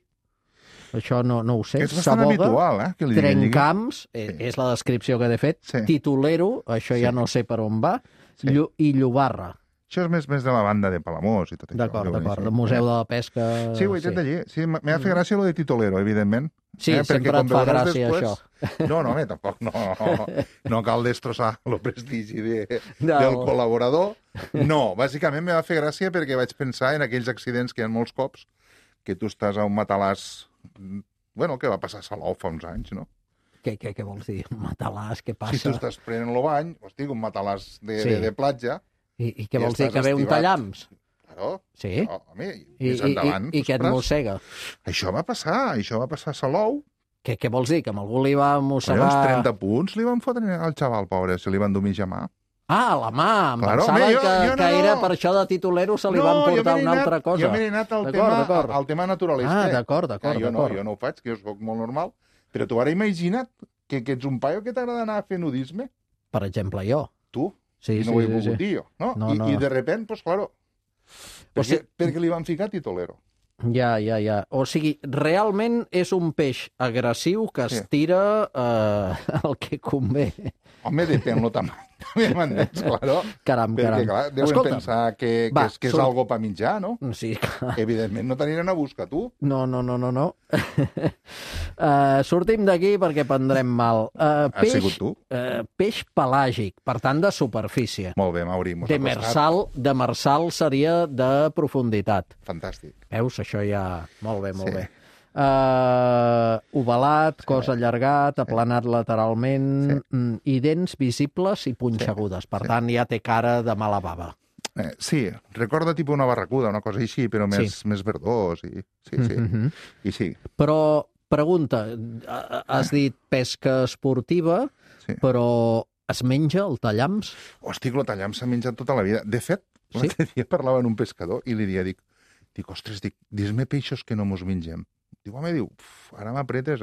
Això no ho sé. És bastant habitual, que li digui trencamps, és la descripció que he fet. Titulero, això ja no sé per on va. I llobarra. Això és més de la banda de Palamós i tot això. D'acord. El Museu de la Pesca... Sí, ho he dit allí. Sí, m'ha fet gràcia lo de titolero, evidentment. Sí, sempre et fa gràcia, això. No, tampoc no cal destrossar el prestigi del col·laborador. No, bàsicament m'ha fet gràcia perquè vaig pensar en aquells accidents que hi ha molts cops, que tu estàs a un matalàs... Bueno, que va passar a Salou fa uns anys, no? Què vols dir? Un matalàs, què passa? Si tu estàs prenent el bany, un matalàs de platja... I què vols dir, que ve un tallams? Claro. Sí? Home, més endavant. I què et mossega? Això va passar a Salou. Què vols dir, que amb algú li va mossegar... Uns 30 punts li van fotre al xaval, pobre, se li van dur mitja mà. Ah, la mà! Em pensava que era per això de titulero se li van portar una altra cosa. Jo m'he anat al tema naturalista. D'acord. Jo no ho faig, que jo soc molt normal. Però tu ara imagina't que ets un paio que t'agrada anar a fer nudisme. Per exemple, jo. Tu? Sí, no ho he volgut dir jo, no? I de repent, pues claro, perquè li van ficar titolero. Ja. O sigui, realment és un peix agressiu que es tira el que convé. Home, depèn lo tamany. M'entens, claro? Caram. Perquè, clar, deuen pensar que és algo per menjar, no? Sí, clar. Evidentment no t'aniran a buscar, tu. No. Sortim d'aquí perquè prendrem mal. Has sigut tu? Peix pelàgic, per tant, de superfície. Molt bé, Mauri. Demersal seria de profunditat. Fantàstic. Veus? Això ja... Molt bé. Ovalat, cos allargat, aplanat lateralment i dents visibles i punxegudes. Per tant, ja té cara de mala bava. Sí, recorda tipus una barracuda, una cosa així, però més verdós. Sí. Però, pregunta, has dit pesca esportiva, però es menja el tallams? Hosti, el tallams s'ha menjat tota la vida. De fet, l'altre dia parlava amb un pescador i li dic, ostres, dis-me peixos que no mos mengem. Diu, ara m'apretes,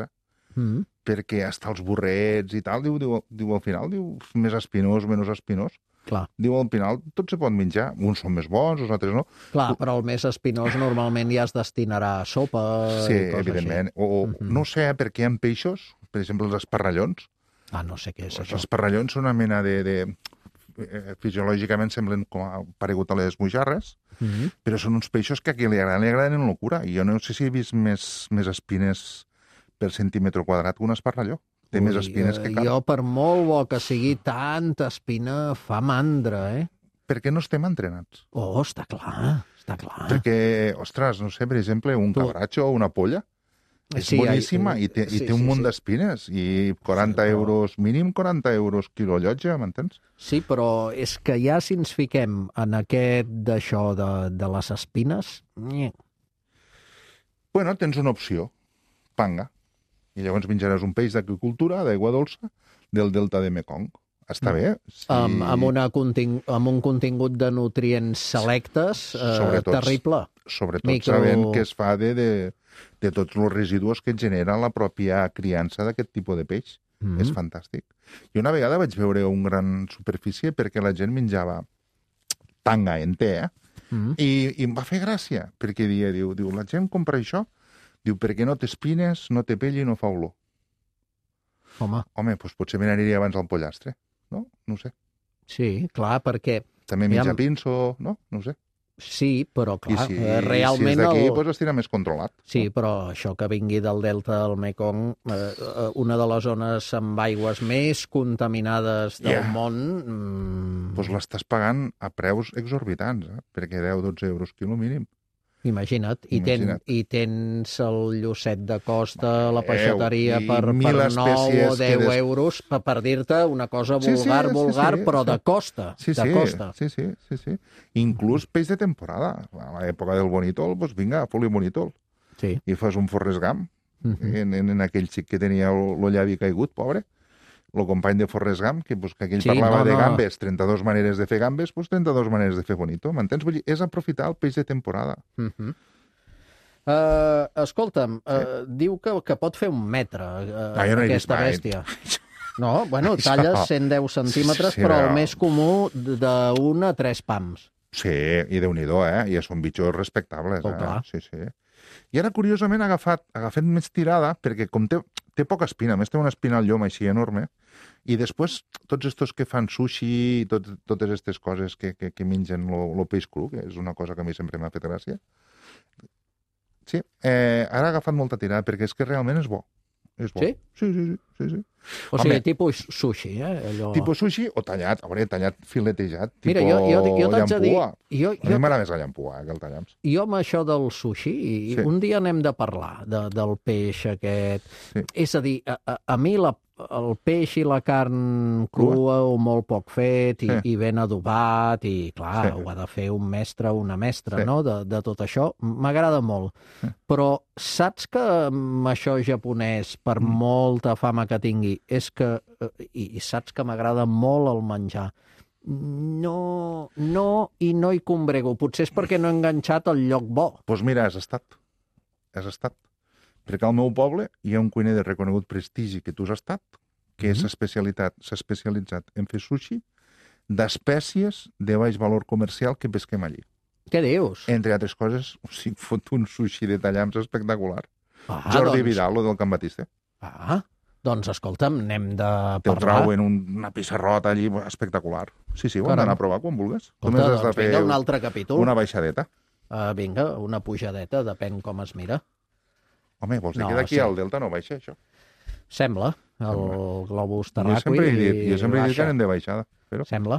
perquè hasta els burrets i tal, diu al final, més espinós, menys espinós. Clar. Diu, al final tot se pot menjar. Uns són més bons, els altres no. Clar, però el més espinós normalment ja es destinarà a sopa i coses evidentment. Així. No sé per què hi ha peixos, per exemple, els esparrallons. No sé què és això. Els esparrallons són una mena de fisiològicament semblen com paregut a les mojarres, però són uns peixos que a qui li agraden en locura. I jo no sé si he vist més espines per centímetre quadrat que un esparralló. Té més espines que cap. Jo, per molt bo que sigui, tanta espina fa mandra, Perquè no estem entrenats. Oh, està clar, està clar. Perquè, ostres, no sé, per exemple, un cabratxo o una polla és boníssima i té un munt d'espines i 40 euros, mínim 40 euros quilo llotja, m'entens? Sí, però és que ja si ens fiquem en aquest d'això de les espines... Bueno, tens una opció, panga. I llavors menjaràs un peix d'agricultura, d'aigua dolça, del delta de Mekong. Està bé. Sí. Amb un contingut de nutrients selectes terrible. Sobretot sabent que es fa de tots els residus que genera la pròpia criança d'aquest tipus de peix. És fantàstic. I una vegada vaig veure un gran superfície perquè la gent menjava tanga enter, i em va fer gràcia, perquè diu, la gent compra això, diu, perquè no té espines, no té pell i no fa olor. Home, doncs potser me n'aniria abans al pollastre. No? No ho sé. Sí, clar, perquè... També menja pinso, no? No ho sé. Sí, però clar, realment... Si és d'aquí, doncs estirà més controlat. Sí, però això que vingui del delta del Mekong, una de les zones amb aigües més contaminades del món... Doncs l'estàs pagant a preus exorbitants, perquè 10-12 euros quilo mínim. Imagina't. I tens el lloset de costa, la peixateria per 9 o 10 euros, per dir-te una cosa vulgar, però de costa. Sí. Inclús peix de temporada. A l'època del bonítol, doncs vinga, foli bonítol. Sí. I fas un Forrest Gump en aquell xic que tenia el llavi caigut, pobre. El company de Forrest Gump, que aquell parlava de gambes, 32 maneres de fer gambes, doncs 32 maneres de fer bonito, m'entens? Vull dir, és aprofitar el peix de temporada. Escolta'm, diu que pot fer 1 metre aquesta bèstia. No, bueno, talles 110 centímetres, però el més comú d'1 a 3 pams. Sí, i Déu-n'hi-do, I són bitxos respectables, Sí. I ara, curiosament, ha agafat més tirada, perquè com té poca espina, a més té una espina al llom així enorme, i després tots estos que fan sushi, totes aquestes coses que mengen el peix cru, que és una cosa que a mi sempre m'ha fet gràcia. Sí, ara ha agafat molta tirada, perquè és que realment és bo. És bo. Sí? Sí. O sigui, tipus sushi, allò... Tipus sushi o tallat, tallat filetejat, mira, jo llampua. A mi m'agrada més la llampua que el tallams. Jo amb això del sushi, un dia n'hem de parlar del peix aquest. Sí. És a dir, a mi el peix i la carn crua o molt poc fet i ben adobat i, clar, ho ha de fer un mestre o una mestra, no?, de tot això. M'agrada molt. Però saps que amb això japonès, per molta fama que tingui, és que... I saps que m'agrada molt el menjar. No hi combrego. Potser és perquè no he enganxat el lloc bo. Doncs mira, has estat. Perquè al meu poble hi ha un cuiner de reconegut prestigi que tu has estat, que s'ha especialitzat en fer sushi d'espècies de baix valor comercial que pesquem allí. Què dius? Entre altres coses, fot un sushi de tallams espectacular. Jordi Vidal, el del Can Batiste. Doncs escolta'm, n'hem de parlar. Te'l trau en una pissarrota allí espectacular. Sí, ho hem d'anar a provar quan vulguis. Escolta, doncs vinga, un altre capítol. Una baixadeta. Vinga, una pujadeta, depèn com es mira. Home, vols dir que d'aquí al Delta no baixa, això? Sembla, el globus terraqüi. Jo sempre he dit que anem de baixada. Sembla,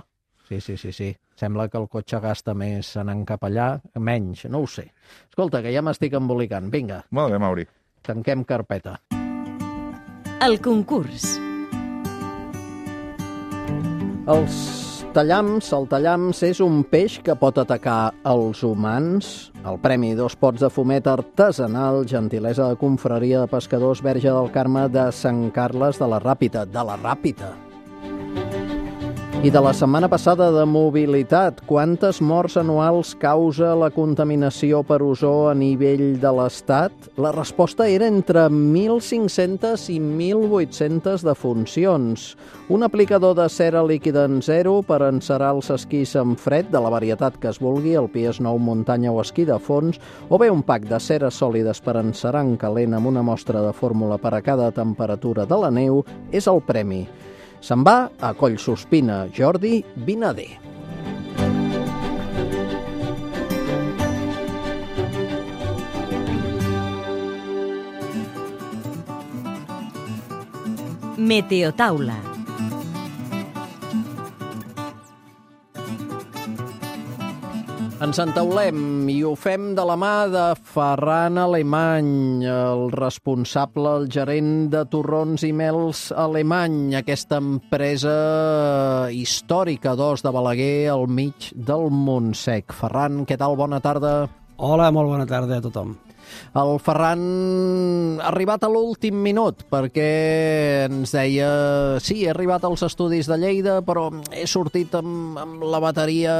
sí. Sembla que el cotxe gasta més anant cap allà, menys, no ho sé. Escolta, que ja m'estic embolicant, vinga. Molt bé, Mauri. Tanquem carpeta. El concurs. El tallams és un peix que pot atacar els humans. El premi 2 pots de fumet artesanal, gentilesa de confraria de pescadors Verge del Carme de Sant Carles de la Ràpita. I de la setmana passada de mobilitat, quantes morts anuals causa la contaminació per ozó a nivell de l'Estat? La resposta era entre 1.500 i 1.800 defuncions. Un aplicador de cera líquida en zero per encerar els esquís en fred de la varietat que es vulgui, el PS9 muntanya o esquí de fons, o bé un pack de ceres sòlides per encerar en calent amb una mostra de fórmula per a cada temperatura de la neu, és el premi. Se'n va a Collsospina, Jordi Vinader. Meteotaula. Ens entaulem i ho fem de la mà de Ferran Alemany, el responsable, el gerent de Torrons i Mels Alemany, aquesta empresa històrica d'Os de Balaguer al mig del Montsec. Ferran, què tal? Bona tarda. Hola, molt bona tarda a tothom. El Ferran ha arribat a l'últim minut perquè ens deia sí, he arribat als estudis de Lleida, però he sortit amb la bateria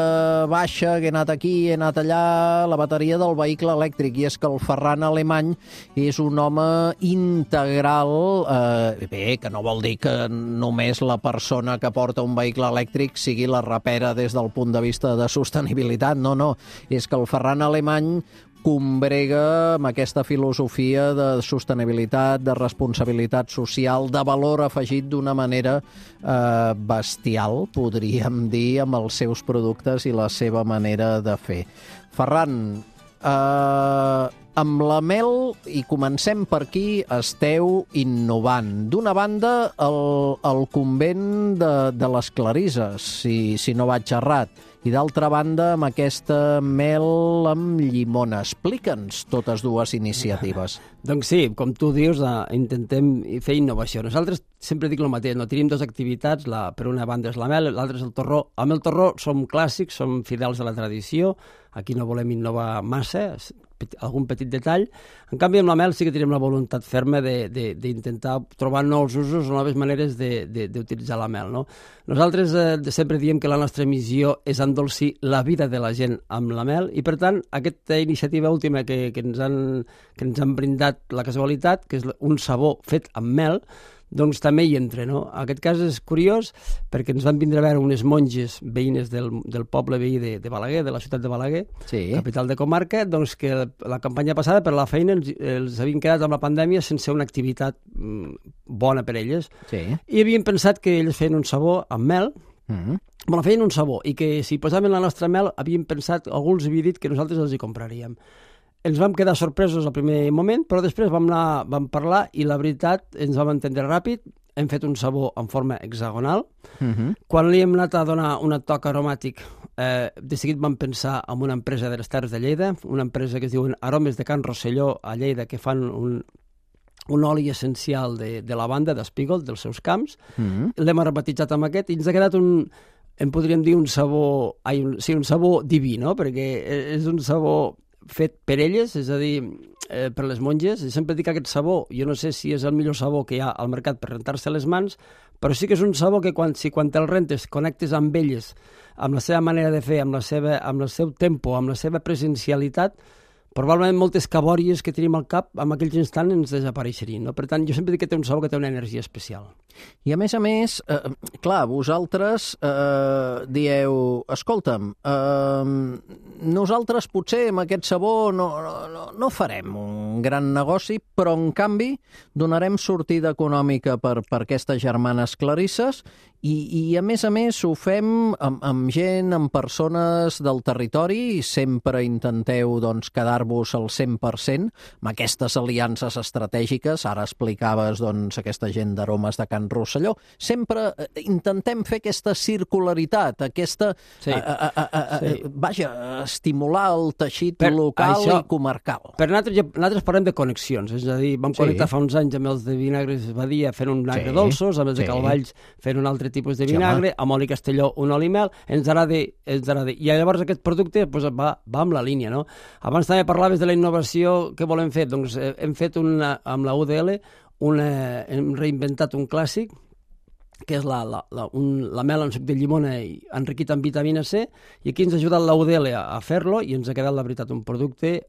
baixa, que he anat aquí, he anat allà, la bateria del vehicle elèctric. I és que el Ferran Alemany és un home integral, que no vol dir que només la persona que porta un vehicle elèctric sigui la rapera des del punt de vista de sostenibilitat. No, és que el Ferran Alemany combrega amb aquesta filosofia de sostenibilitat, de responsabilitat social, de valor afegit d'una manera bestial, podríem dir, amb els seus productes i la seva manera de fer. Ferran, amb la mel, i comencem per aquí, esteu innovant. D'una banda, el convent de les Clarisses, si no vaig errat, i d'altra banda, amb aquesta mel amb llimona. Explica'ns totes dues iniciatives. Doncs sí, com tu dius, intentem fer innovació. Nosaltres sempre dic el mateix, no tenim dues activitats, per una banda és la mel, l'altra és el torró. Amb el torró som clàssics, som fidels a la tradició, aquí no volem innovar massa, algun petit detall. En canvi, amb la mel sí que tenim la voluntat ferma d'intentar trobar nous usos o noves maneres d'utilitzar la mel. No? Nosaltres sempre diem que la nostra missió és endolcir la vida de la gent amb la mel i, per tant, aquesta iniciativa última que ens han brindat la casualitat, que és un sabó fet amb mel, doncs també hi entra, no? Aquest cas és curiós perquè ens van vindre a veure unes monges veïnes del poble veí de Balaguer, de la ciutat de Balaguer, sí, capital de comarca, doncs que la campanya passada per la feina els havien quedat amb la pandèmia sense una activitat bona per elles. Sí. I havien pensat que ells feien un sabó amb mel, bueno, feien un sabó, i que si posaven la nostra mel havien pensat, algú els havia dit que nosaltres els hi compraríem. Ens vam quedar sorpresos al primer moment, però després vam parlar i la veritat ens vam entendre ràpid. Hem fet un sabó en forma hexagonal. Quan li hem anat a donar un toc aromàtic, de seguit vam pensar en una empresa de les Terres de Lleida, una empresa que es diuen Aromes de Can Rosselló a Lleida, que fan un oli essencial de lavanda, d'espígol, dels seus camps. L'hem aromatitzat amb aquest i ens ha quedat en podríem dir un sabó diví, no? Perquè és un sabó fet per elles, és a dir, per les monges. I sempre dic que aquest sabó, jo no sé si és el millor sabó que hi ha al mercat per rentar-se les mans, però sí que és un sabó que quan te'l rentes, connectes amb elles, amb la seva manera de fer, amb el seu tempo, amb la seva presencialitat, probablement moltes cabòries que tenim al cap en aquells instants ens desapareixerien. No? Per tant, jo sempre dic que té un sabó que té una energia especial. I a més, clar, vosaltres dieu, escolta'm, nosaltres potser amb aquest sabó no farem un gran negoci, però en canvi donarem sortida econòmica per aquestes germanes Clarisses i a més ho fem amb gent, amb persones del territori i sempre intenteu quedar-vos al 100% amb aquestes aliances estratègiques. Ara explicaves aquesta gent d'Aromes de Can Rosselló. Sempre intentem fer aquesta circularitat, aquesta... Vaja, estimular el teixit local i comarcal. Per nosaltres parlem de connexions, és a dir, vam connectar fa uns anys amb els de Vinagres Badia fent un vinagre dolços, amb els de Calvalls fent un altre tipus de vinagre, amb oli Castelló un oli mel, ens agrada. I llavors aquest producte va amb la línia, no? Abans també parlaves de la innovació que volem fer. Doncs hem fet amb la UDL, hem reinventat un clàssic, que és la mel amb suc de llimona enriquit amb vitamina C, i aquí ens ha ajudat la UDL a fer-lo i ens ha quedat, la veritat, un producte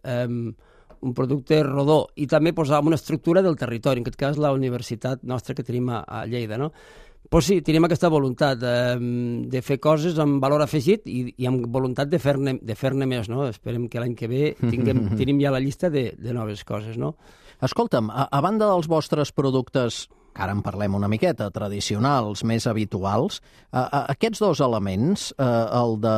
rodó i també amb una estructura del territori, en aquest cas la universitat nostra que tenim a Lleida, no? Pues sí, tenim aquesta voluntat de fer coses amb valor afegit i amb voluntat de fer-ne més, no? Esperem que l'any que ve tenim ja la llista de noves coses, no? Escolta'm, a banda dels vostres productes, que ara en parlem una miqueta, tradicionals, més habituals, aquests dos elements, el de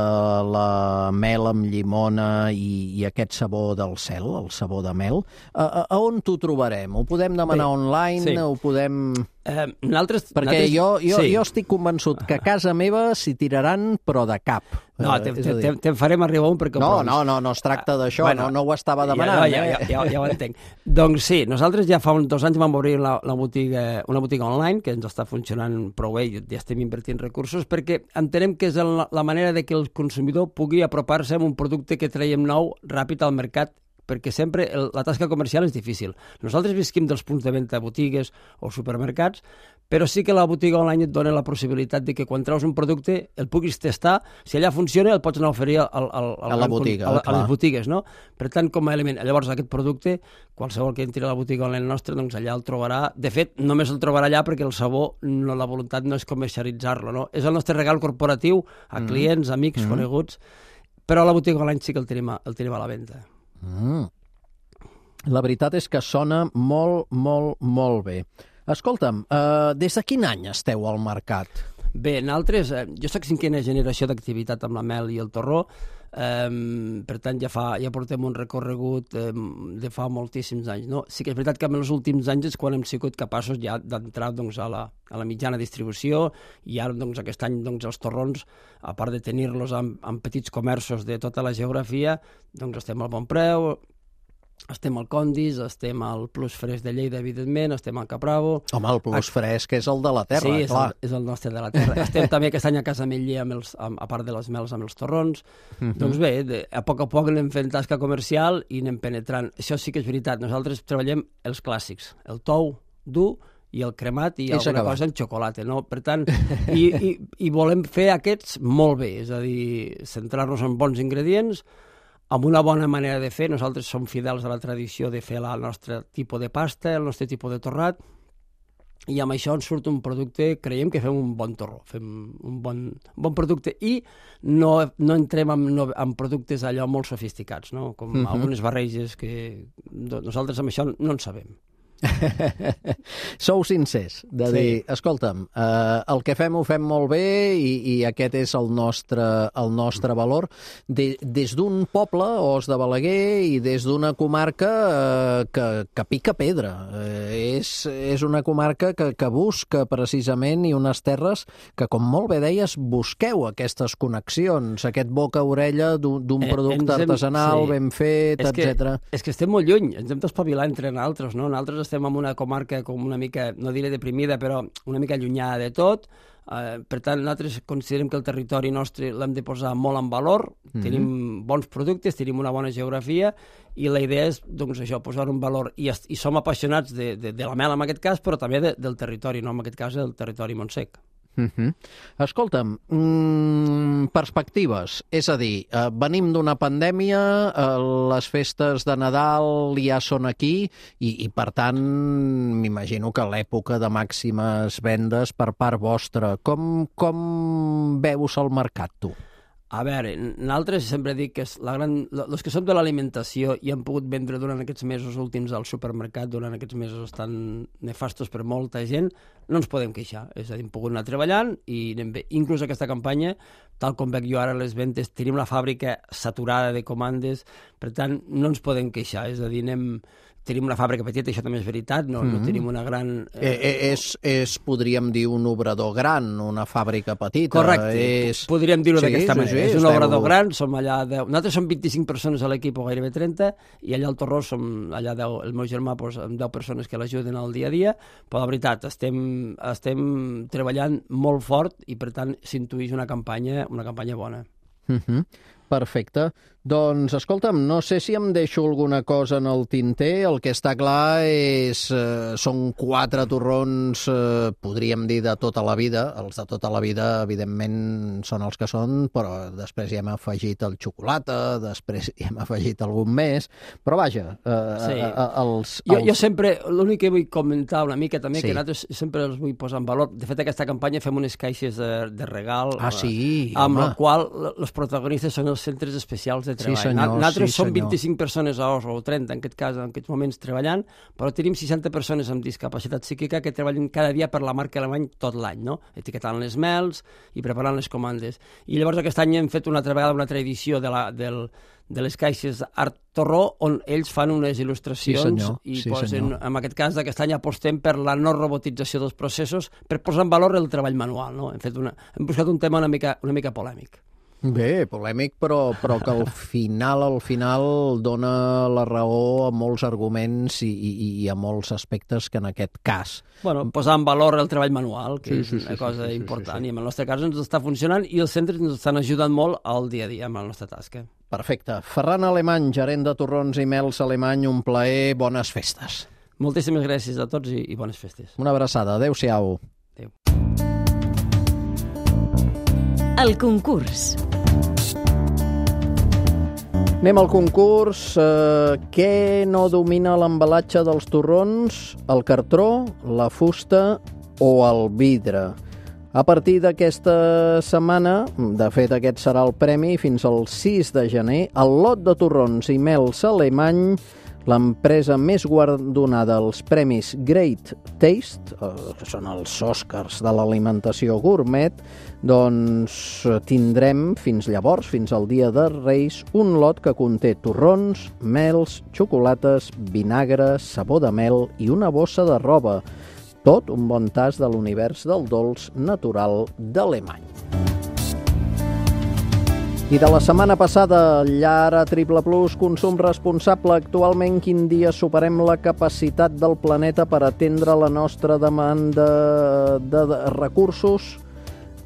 la mel amb llimona i aquest sabó del cel, el sabó de mel, a on t'ho trobarem? Ho podem demanar online? Ho podem... Perquè jo estic convençut que a casa meva s'hi tiraran, però de cap. No, te'n farem arribar un perquè... No es tracta d'això, no ho estava demanant. Ja ho entenc. Doncs sí, nosaltres ja fa uns 2 anys vam obrir una botiga online que ens està funcionant prou bé, ja estem invertint recursos, perquè entenem que és la manera de que el consumidor pugui apropar-se a un producte que traiem nou ràpid al mercat, perquè sempre la tasca comercial és difícil. Nosaltres visquim dels punts de venda a botigues o supermercats, però sí que la botiga online et dona la possibilitat de que quan treus un producte el puguis testar, si allà funciona el pots anar a oferir a la botiga, a les botigues, no? Per tant, com a element, llavors aquest producte, qualsevol que entri a la botiga online nostra, doncs allà el trobarà. De fet, només el trobarà allà perquè el sabó, la voluntat no és comercialitzar-lo, no? És el nostre regal corporatiu a clients, amics, coneguts, però a la botiga online sí que el tenim a la venda. La veritat és que sona molt, molt, molt bé. Escolta'm, des de quin any esteu al mercat? Bé, nosaltres, jo soc 5a generació d'activitat amb la mel i el torró, per tant ja portem un recorregut de fa moltíssims anys. No? Sí que és veritat que en els últims anys és quan hem sigut capaços ja d'entrar a la mitjana distribució, i ara aquest any els torrons, a part de tenir-los en petits comerços de tota la geografia, estem al Bon Preu, estem al Condis, estem al Plus Fresc de Lleida, evidentment, estem al Capravo... Home, el Plus Fresc és el de la terra, sí, clar. Sí, és el nostre de la terra. Estem també aquest any a Casa Ametller, a part de les mels, amb els torrons. Doncs bé, a poc anem fent tasca comercial i anem penetrant. Això sí que és veritat. Nosaltres treballem els clàssics, el tou dur i el cremat i alguna cosa amb xocolata, no? Per tant, i volem fer aquests molt bé, és a dir, centrar-nos en bons ingredients, amb una bona manera de fer. Nosaltres som fidels a la tradició de fer el nostre tipus de pasta, el nostre tipus de torrat, i amb això ens surt un producte, creiem que fem un bon torró, fem un bon producte, i no entrem en productes allò molt sofisticats, no? Com algunes barreges que nosaltres amb això no en sabem. Sou sincers, de dir, escolta'm, el que fem ho fem molt bé i aquest és el nostre valor. Des d'un poble, Os de Balaguer, i des d'una comarca que pica pedra. És una comarca que busca precisament, i unes terres que, com molt bé deies, busqueu aquestes connexions, aquest boca-orella d'un producte artesanal ben fet, etc. És que estem molt lluny, ens hem d'espavilar entre nosaltres, no? Nosaltres estem en una comarca com una mica, no diré deprimida, però una mica allunyada de tot. Per tant, nosaltres considerem que el territori nostre l'hem de posar molt en valor, tenim bons productes, tenim una bona geografia, i la idea és, doncs, això, posar un valor. I som apassionats de la mel, en aquest cas, però també del territori, no en aquest cas del territori Montsec. Escolta'm, perspectives, és a dir, venim d'una pandèmia, les festes de Nadal ja són aquí i per tant m'imagino que l'època de màximes vendes per part vostra. Com veus el mercat, tu? A veure, nosaltres sempre dic que els que som de l'alimentació i hem pogut vendre durant aquests mesos últims al supermercat, durant aquests mesos tan nefastos per molta gent, no ens podem queixar. És a dir, hem pogut anar treballant i anem bé. Inclús aquesta campanya, tal com veig jo ara les ventes, tenim la fàbrica saturada de comandes, per tant, no ens podem queixar. És a dir, tenim una fàbrica petita, això també és veritat, no tenim una gran... podríem dir, un obrador gran, una fàbrica petita. Correcte, podríem dir-ho d'aquesta manera. És un obrador gran, som allà 10... Nosaltres som 25 persones a l'equip, o gairebé 30, i allà al Torró som allà 10, el meu germà, amb 10 persones que l'ajuden al dia a dia, però la veritat, estem treballant molt fort i, per tant, s'intuïx una campanya bona. Perfecte. Doncs, escolta'm, no sé si em deixo alguna cosa en el tinter. El que està clar són 4 torrons, podríem dir, de tota la vida. Els de tota la vida, evidentment, són els que són, però després hi hem afegit el xocolata, després hi hem afegit algun més, però vaja, Jo sempre, l'únic que vull comentar una mica també, que nosaltres sempre els vull posar en valor. De fet, aquesta campanya fem unes caixes de regal, amb la qual els protagonistes són els centres especials de de treball. Sí, senyor, Nosaltres som senyor. 25 persones a Oslo, o 30 en aquest cas, en aquests moments treballant, però tenim 60 persones amb discapacitat psíquica que treballen cada dia per la marca Alemany tot l'any, no? Etiquetant les mels i preparant les comandes. I llavors aquest any hem fet una altra vegada una altra edició de les caixes Art Torró, on ells fan unes il·lustracions i posen, en aquest cas d'aquest any apostem per la no robotització dels processos per posar en valor el treball manual, no? Hem buscat un tema una mica polèmic. Bé, polèmic, però que al final dona la raó a molts arguments i a molts aspectes que en aquest cas. Bueno, posar en valor el treball manual, que és una cosa important, i en el nostre cas ens està funcionant i els centres ens estan ajudant molt al dia a dia amb la nostra tasca. Perfecte. Ferran Alemany, gerent de torrons i mels Alemany, un plaer, bones festes. Moltíssimes gràcies a tots i bones festes. Una abraçada, adéu-siau. Adéu. El concurs. Anem al concurs. Què no domina l'embalatge dels torrons? El cartró, la fusta o el vidre? A partir d'aquesta setmana, de fet aquest serà el premi, fins al 6 de gener, el lot de torrons i mels Alemany, l'empresa més guardonada als premis Great Taste, que són els Oscars de l'alimentació gourmet, doncs tindrem fins llavors, fins al dia de Reis, un lot que conté torrons, mels, xocolates, vinagre, sabó de mel i una bossa de roba. Tot un bon tas de l'univers del dolç natural d'Alemany. I de la setmana passada, llar a Triple Plus, consum responsable. Actualment, quin dia superem la capacitat del planeta per atendre la nostra demanda de recursos?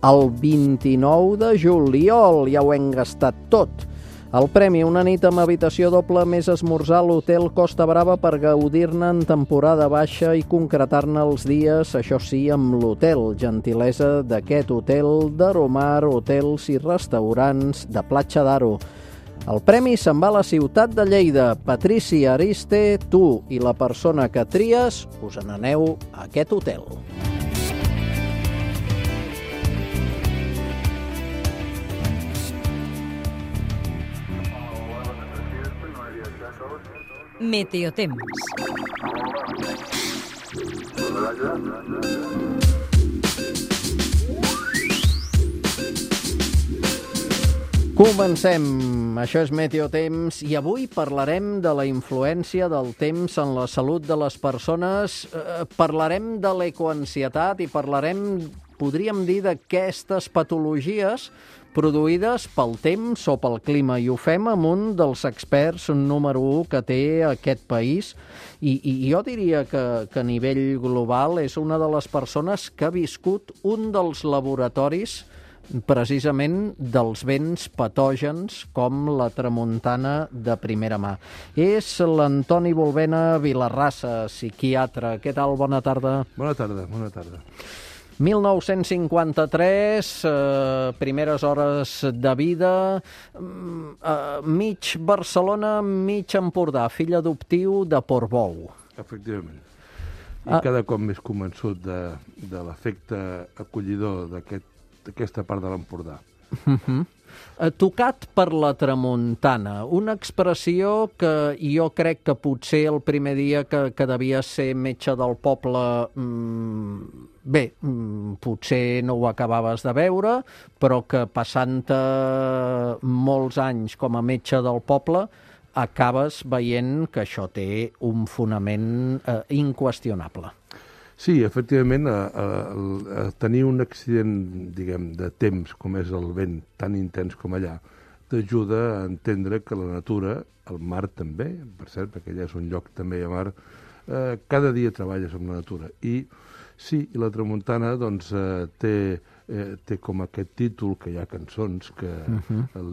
El 29 de juliol, ja ho hem gastat tot. El premi, una nit amb habitació doble més esmorzar a l'hotel Costa Brava per gaudir-ne en temporada baixa i concretar-ne els dies, això sí, amb l'hotel. Gentilesa d'aquest hotel d'Aromar, hotels i restaurants de Platja d'Aro. El premi se'n va a la ciutat de Lleida. Patricia Ariste, tu i la persona que tries us n'aneu a aquest hotel. Meteotemps. Comencem. Això és Meteotemps i avui parlarem de la influència del temps en la salut de les persones. Parlarem de l'ecoansietat i parlarem, podríem dir, d'aquestes patologies produïdes pel temps o pel clima, i ho fem amb un dels experts número 1 que té aquest país, i jo diria que a nivell global és una de les persones que ha viscut un dels laboratoris precisament dels vents patògens com la tramuntana de primera mà. És l'Antoni Volvena Vilarrassa, psiquiatre. Què tal? Bona tarda. Bona tarda, bona tarda. 1953, primeres hores de vida, mig Barcelona, mig Empordà, fill adoptiu de Portbou. Efectivament. I cada cop més convençut de l'efecte acollidor d'aquesta part de l'Empordà. Tocat per la tramuntana, una expressió que jo crec que potser el primer dia que devia ser metge del poble, potser no ho acabaves de veure, però que passant-te molts anys com a metge del poble acabes veient que això té un fonament inqüestionable. Sí, efectivament, tenir un accident, diguem, de temps, com és el vent tan intens com allà, t'ajuda a entendre que la natura, el mar també, per cert, perquè allà és un lloc també a mar, cada dia treballes amb la natura. I sí, la tramuntana doncs, té com aquest títol, que hi ha cançons que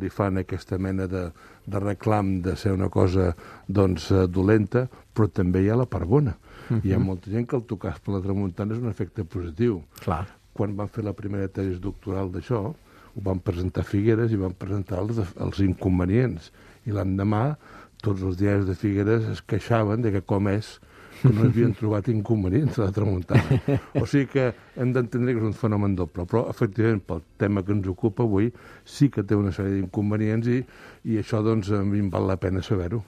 li fan aquesta mena de reclam de ser una cosa doncs, dolenta, però també hi ha la part bona. Hi ha molta gent que el tocar per la tramuntana és un efecte positiu. Clar. Quan van fer la primera tesi doctoral d'això, ho van presentar a Figueres i van presentar els inconvenients. I l'endemà tots els diaris de Figueres es queixaven de que com és que no havien trobat inconvenients a la tramuntana. O sigui que hem d'entendre que és un fenomen doble, però efectivament pel tema que ens ocupa avui sí que té una sèrie d'inconvenients i això doncs a mi em val la pena saber-ho.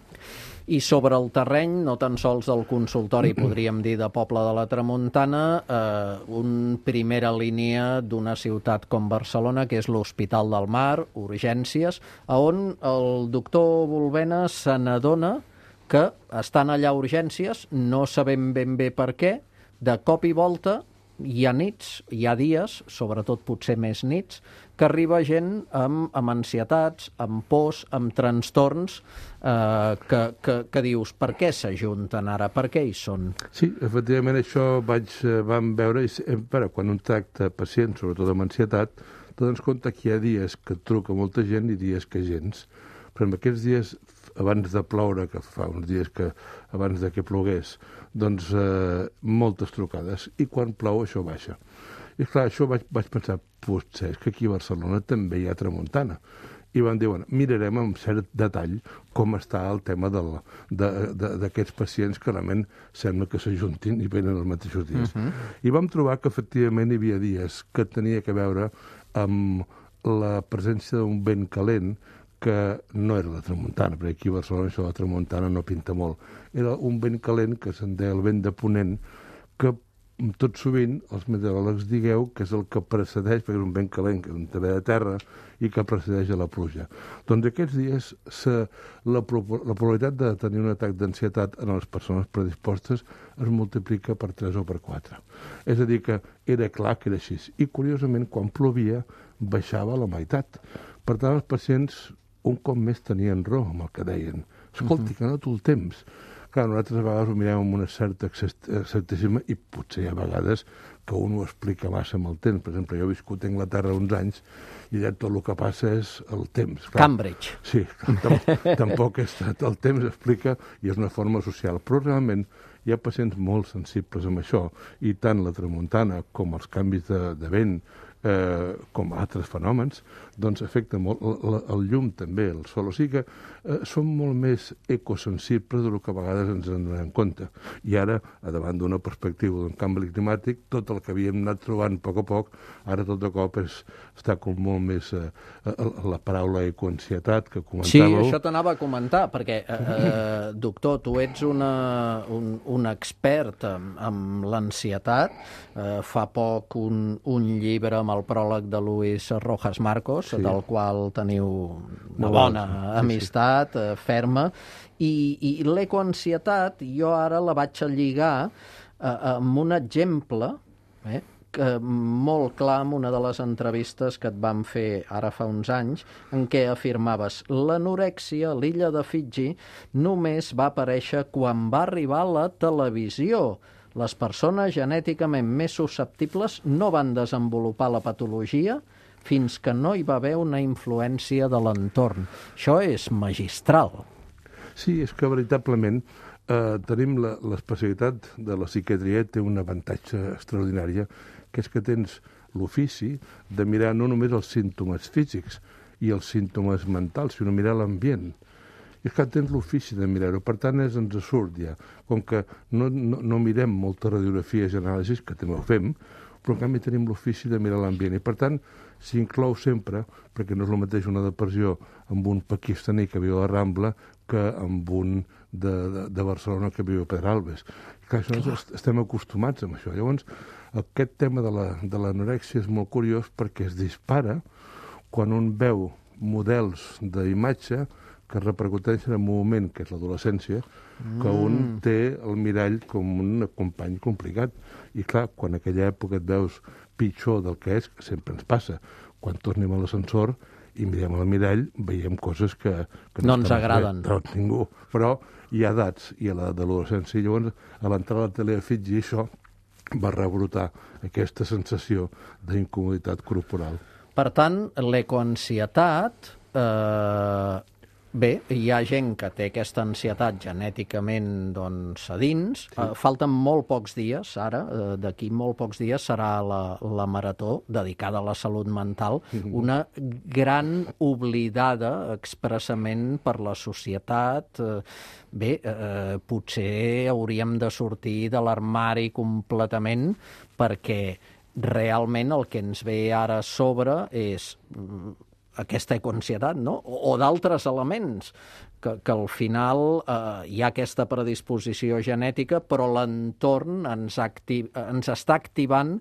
I sobre el terreny, no tan sols del consultori, podríem dir, de Poble de la Tramuntana, una primera línia d'una ciutat com Barcelona, que és l'Hospital del Mar, urgències, on el doctor Volvena se n'adona que estan allà urgències, no sabem ben bé per què, de cop i volta hi ha nits, hi ha dies, sobretot potser més nits, que arriba gent amb ansietats, amb pors, amb trastorns, que dius, per què s'ajunten ara, per què hi són? Sí, efectivament això vam veure, quan un tracta pacients, sobretot amb ansietat, t'adones compte que hi ha dies que et truca molta gent i dies que gens. Però en aquests dies, abans de ploure, que fa uns dies que abans de que plogués, doncs moltes trucades. I quan plou això baixa. I clar, això vaig pensar, potser és que aquí a Barcelona també hi ha tramuntana. I vam dir, bueno, mirarem amb cert detall com està el tema d'aquests pacients que realment sembla que s'ajuntin i venen els mateixos dies. I vam trobar que efectivament hi havia dies que tenia que veure amb la presència d'un vent calent que no era la tramuntana, perquè aquí a Barcelona això de la tramuntana no pinta molt. Era un vent calent que se'n deia el vent de ponent, que tot sovint els meteoròlegs digueu que és el que precedeix, perquè és un vent calent que és de terra i que precedeix a la pluja. Doncs aquests dies la probabilitat de tenir un atac d'ansietat en les persones predispostes es multiplica per 3 o per 4. És a dir, que era clar que era així. I curiosament, quan plovia, baixava a la meitat. Per tant, els pacients un cop més tenien raó amb el que deien. Escolti, que no tot el temps. Clar, nosaltres a vegades ho mirem amb un cert escepticisme i potser hi ha vegades que un ho explica massa amb el temps. Per exemple, jo he viscut a Anglaterra uns anys i allà tot el que passa és el temps. Clar, Cambridge. Sí, tampoc és el temps explica i és una forma social. Però realment hi ha pacients molt sensibles amb això i tant la tramuntana com els canvis de vent com altres fenòmens, doncs afecta molt el llum també, el sol. O sigui que són molt més ecosensibles del que a vegades ens en donem compte. I ara, davant d'una perspectiva d'un canvi climàtic, tot el que havíem anat trobant a poc, ara tot de cop està com molt més la paraula ecoansietat que comentàveu. Sí, això t'anava a comentar, perquè, doctor, tu ets un expert en l'ansietat. Fa poc un llibre amb el pròleg de Luis Rojas Marcos, sí, del qual teniu una bona amistat ferma, i l'ecoansietat jo ara la vaig lligar amb un exemple molt clar en una de les entrevistes que et vam fer ara fa uns anys, en què afirmaves l'anorèxia a l'illa de Fiji només va aparèixer quan va arribar a la televisió. Les persones genèticament més susceptibles no van desenvolupar la patologia fins que no hi va haver una influència de l'entorn. Això és magistral. Sí, és que veritablement tenim l'especialitat de la psiquiatria, té un avantatge extraordinari, que és que tens l'ofici de mirar no només els símptomes físics i els símptomes mentals, sinó mirar l'ambient. I és que tens l'ofici de mirar-ho, per tant ens surt ja. Com que no mirem moltes radiografies i anàlisis, que també ho fem, però en canvi tenim l'ofici de mirar l'ambient. I per tant s'inclou sempre, perquè no és el mateix una depressió amb un pakistaní que viu a la Rambla que amb un de Barcelona que viu a Pedralbes. I clar, estem acostumats amb això. Llavors, aquest tema de l'anorèxia és molt curiós perquè es dispara quan un veu models d'imatge que repercuteixen en un moment, que és l'adolescència, que un té el mirall com un company complicat. I clar, quan en aquella època et veus pitjor del que és, que sempre ens passa, quan tornem a l'ascensor i mirem al mirall, veiem coses que no ens agraden. No, ningú. Però hi ha edats, i a l'edat de l'adolescència. Llavors, a l'entrada a la tele de Fiji, això va rebrotar aquesta sensació d'incomoditat corporal. Per tant, l'ecoansietat Bé, hi ha gent que té aquesta ansietat genèticament doncs, a dins. Falten molt pocs dies, ara, d'aquí molt pocs dies serà la marató dedicada a la salut mental, una gran oblidada expressament per la societat. Bé, potser hauríem de sortir de l'armari completament perquè realment el que ens ve ara a sobre és aquesta ecoansietat, no? O d'altres elements, que al final hi ha aquesta predisposició genètica, però l'entorn ens està activant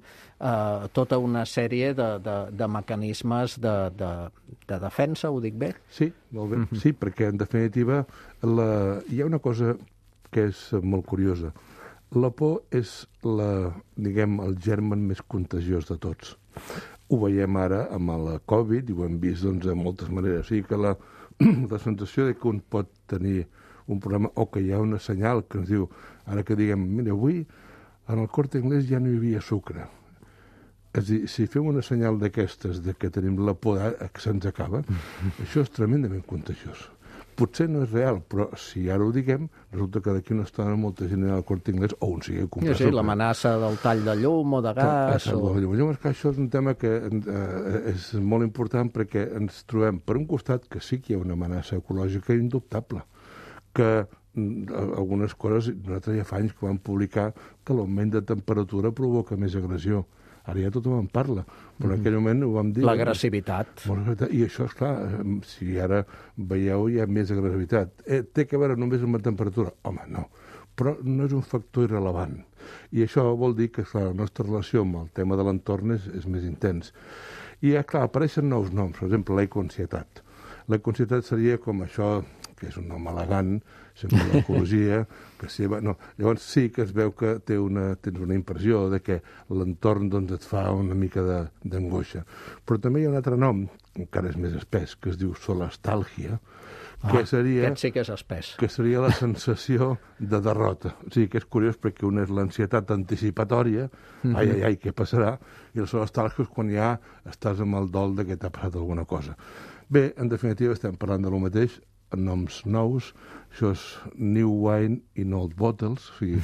tota una sèrie de mecanismes de defensa, ho dic bé? Sí, molt bé. Sí, perquè en definitiva hi ha una cosa que és molt curiosa. La por és el germen més contagiós de tots. Ho veiem ara amb la Covid i ho hem vist de moltes maneres. O sigui que la sensació que un pot tenir un problema o que hi ha una senyal que ens diu, ara que diguem, mira, avui en el Corte Inglés ja no hi havia sucre. És a dir, si fem una senyal d'aquestes de que tenim la por que se'ns acaba, això és tremendament contagiós. Potser no és real, però si ara ho diguem, resulta que d'aquí una estona molta gent al Corte Inglés o on sigui a comprar sucre. Sí, l'amenaça del tall de llum o de gas. Llavors, això és un tema que és molt important perquè ens trobem, per un costat, que sí que hi ha una amenaça ecològica indubtable, que algunes coses, nosaltres ja fa anys que vam publicar que l'augment de temperatura provoca més agressió. Ara ja tothom en parla, però en aquell moment ho vam dir... L'agressivitat. I això, és clar, si ara veieu hi ha més agressivitat. Té que veure només amb la temperatura? Home, no. Però no és un factor irrellevant. I això vol dir que, clar, la nostra relació amb el tema de l'entorn és més intens. I, clar, apareixen nous noms, per exemple, l'ecoansietat. L'ecoansietat seria com això, que és un nom elegant, sempre l'ecologia, que sí, no. Llavors sí que es veu que tens una impressió de que l'entorn et fa una mica d'angoixa. Però també hi ha un altre nom, encara és més espès, que es diu solastàlgia, que seria... Aquest sí que és espès. Que seria la sensació de derrota. O sigui, que és curiós perquè una és l'ansietat anticipatòria, ai, què passarà? I la solastàlgia és quan ja estàs amb el dol de que t'ha passat alguna cosa. Bé, en definitiva, estem parlant de lo mateix, en noms nous, això és New Wine in Old Bottles, o sigui,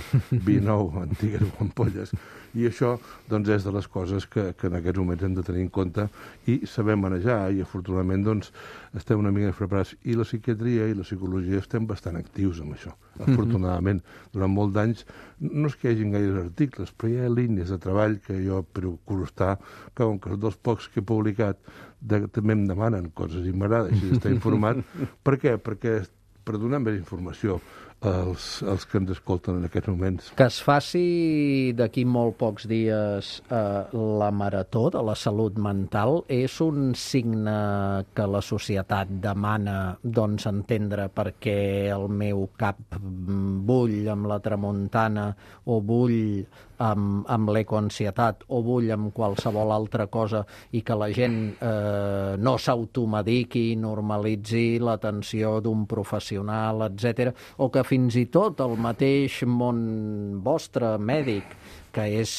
vi nou, antigues ampolles, i això doncs, és de les coses que en aquests moments hem de tenir en compte i saber manejar, i afortunadament doncs, estem una mica preparats, i la psiquiatria i la psicologia estem bastant actius amb això, afortunadament. Durant molts d'anys, no és que hi hagin gaires articles, però hi ha línies de treball que jo procuro estar, que com que els dos pocs que he publicat també em demanen coses i m'agrada així d'estar informat. Per què? Perquè per donar més informació als que ens escolten en aquests moments. Que es faci d'aquí molt pocs dies la marató de la salut mental és un signe que la societat demana doncs, entendre perquè el meu cap bull amb la tramuntana o bull amb l'ecoansietat o bull amb qualsevol altra cosa i que la gent no s'automediqui, normalitzi l'atenció d'un professional, etc. O que fins i tot el mateix món vostre, mèdic, que és,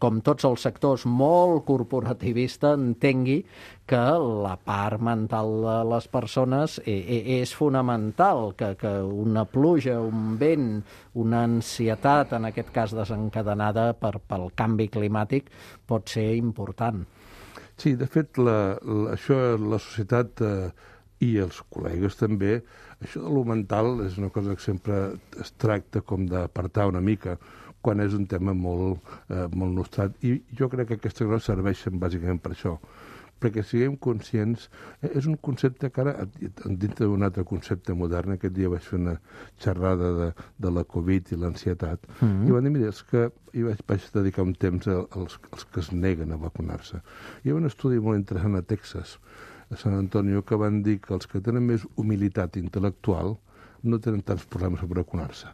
com tots els sectors, molt corporativista, entengui que la part mental de les persones és fonamental, que una pluja, un vent, una ansietat, en aquest cas desencadenada pel canvi climàtic, pot ser important. Sí, de fet, això la societat i els col·legues també, això de lo mental és una cosa que sempre es tracta com d'apartar una mica, quan és un tema molt nostrat. I jo crec que aquestes coses serveixen bàsicament per això, perquè siguem conscients. És un concepte que ara, dintre d'un altre concepte modern, aquest dia vaig fer una xerrada de la Covid i l'ansietat, i van dir, mira, vaig dedicar un temps als que es neguen a vacunar-se. Hi ha un estudi molt interessant a Texas, a San Antonio, que van dir que els que tenen més humilitat intel·lectual no tenen tants problemes per vacunar-se.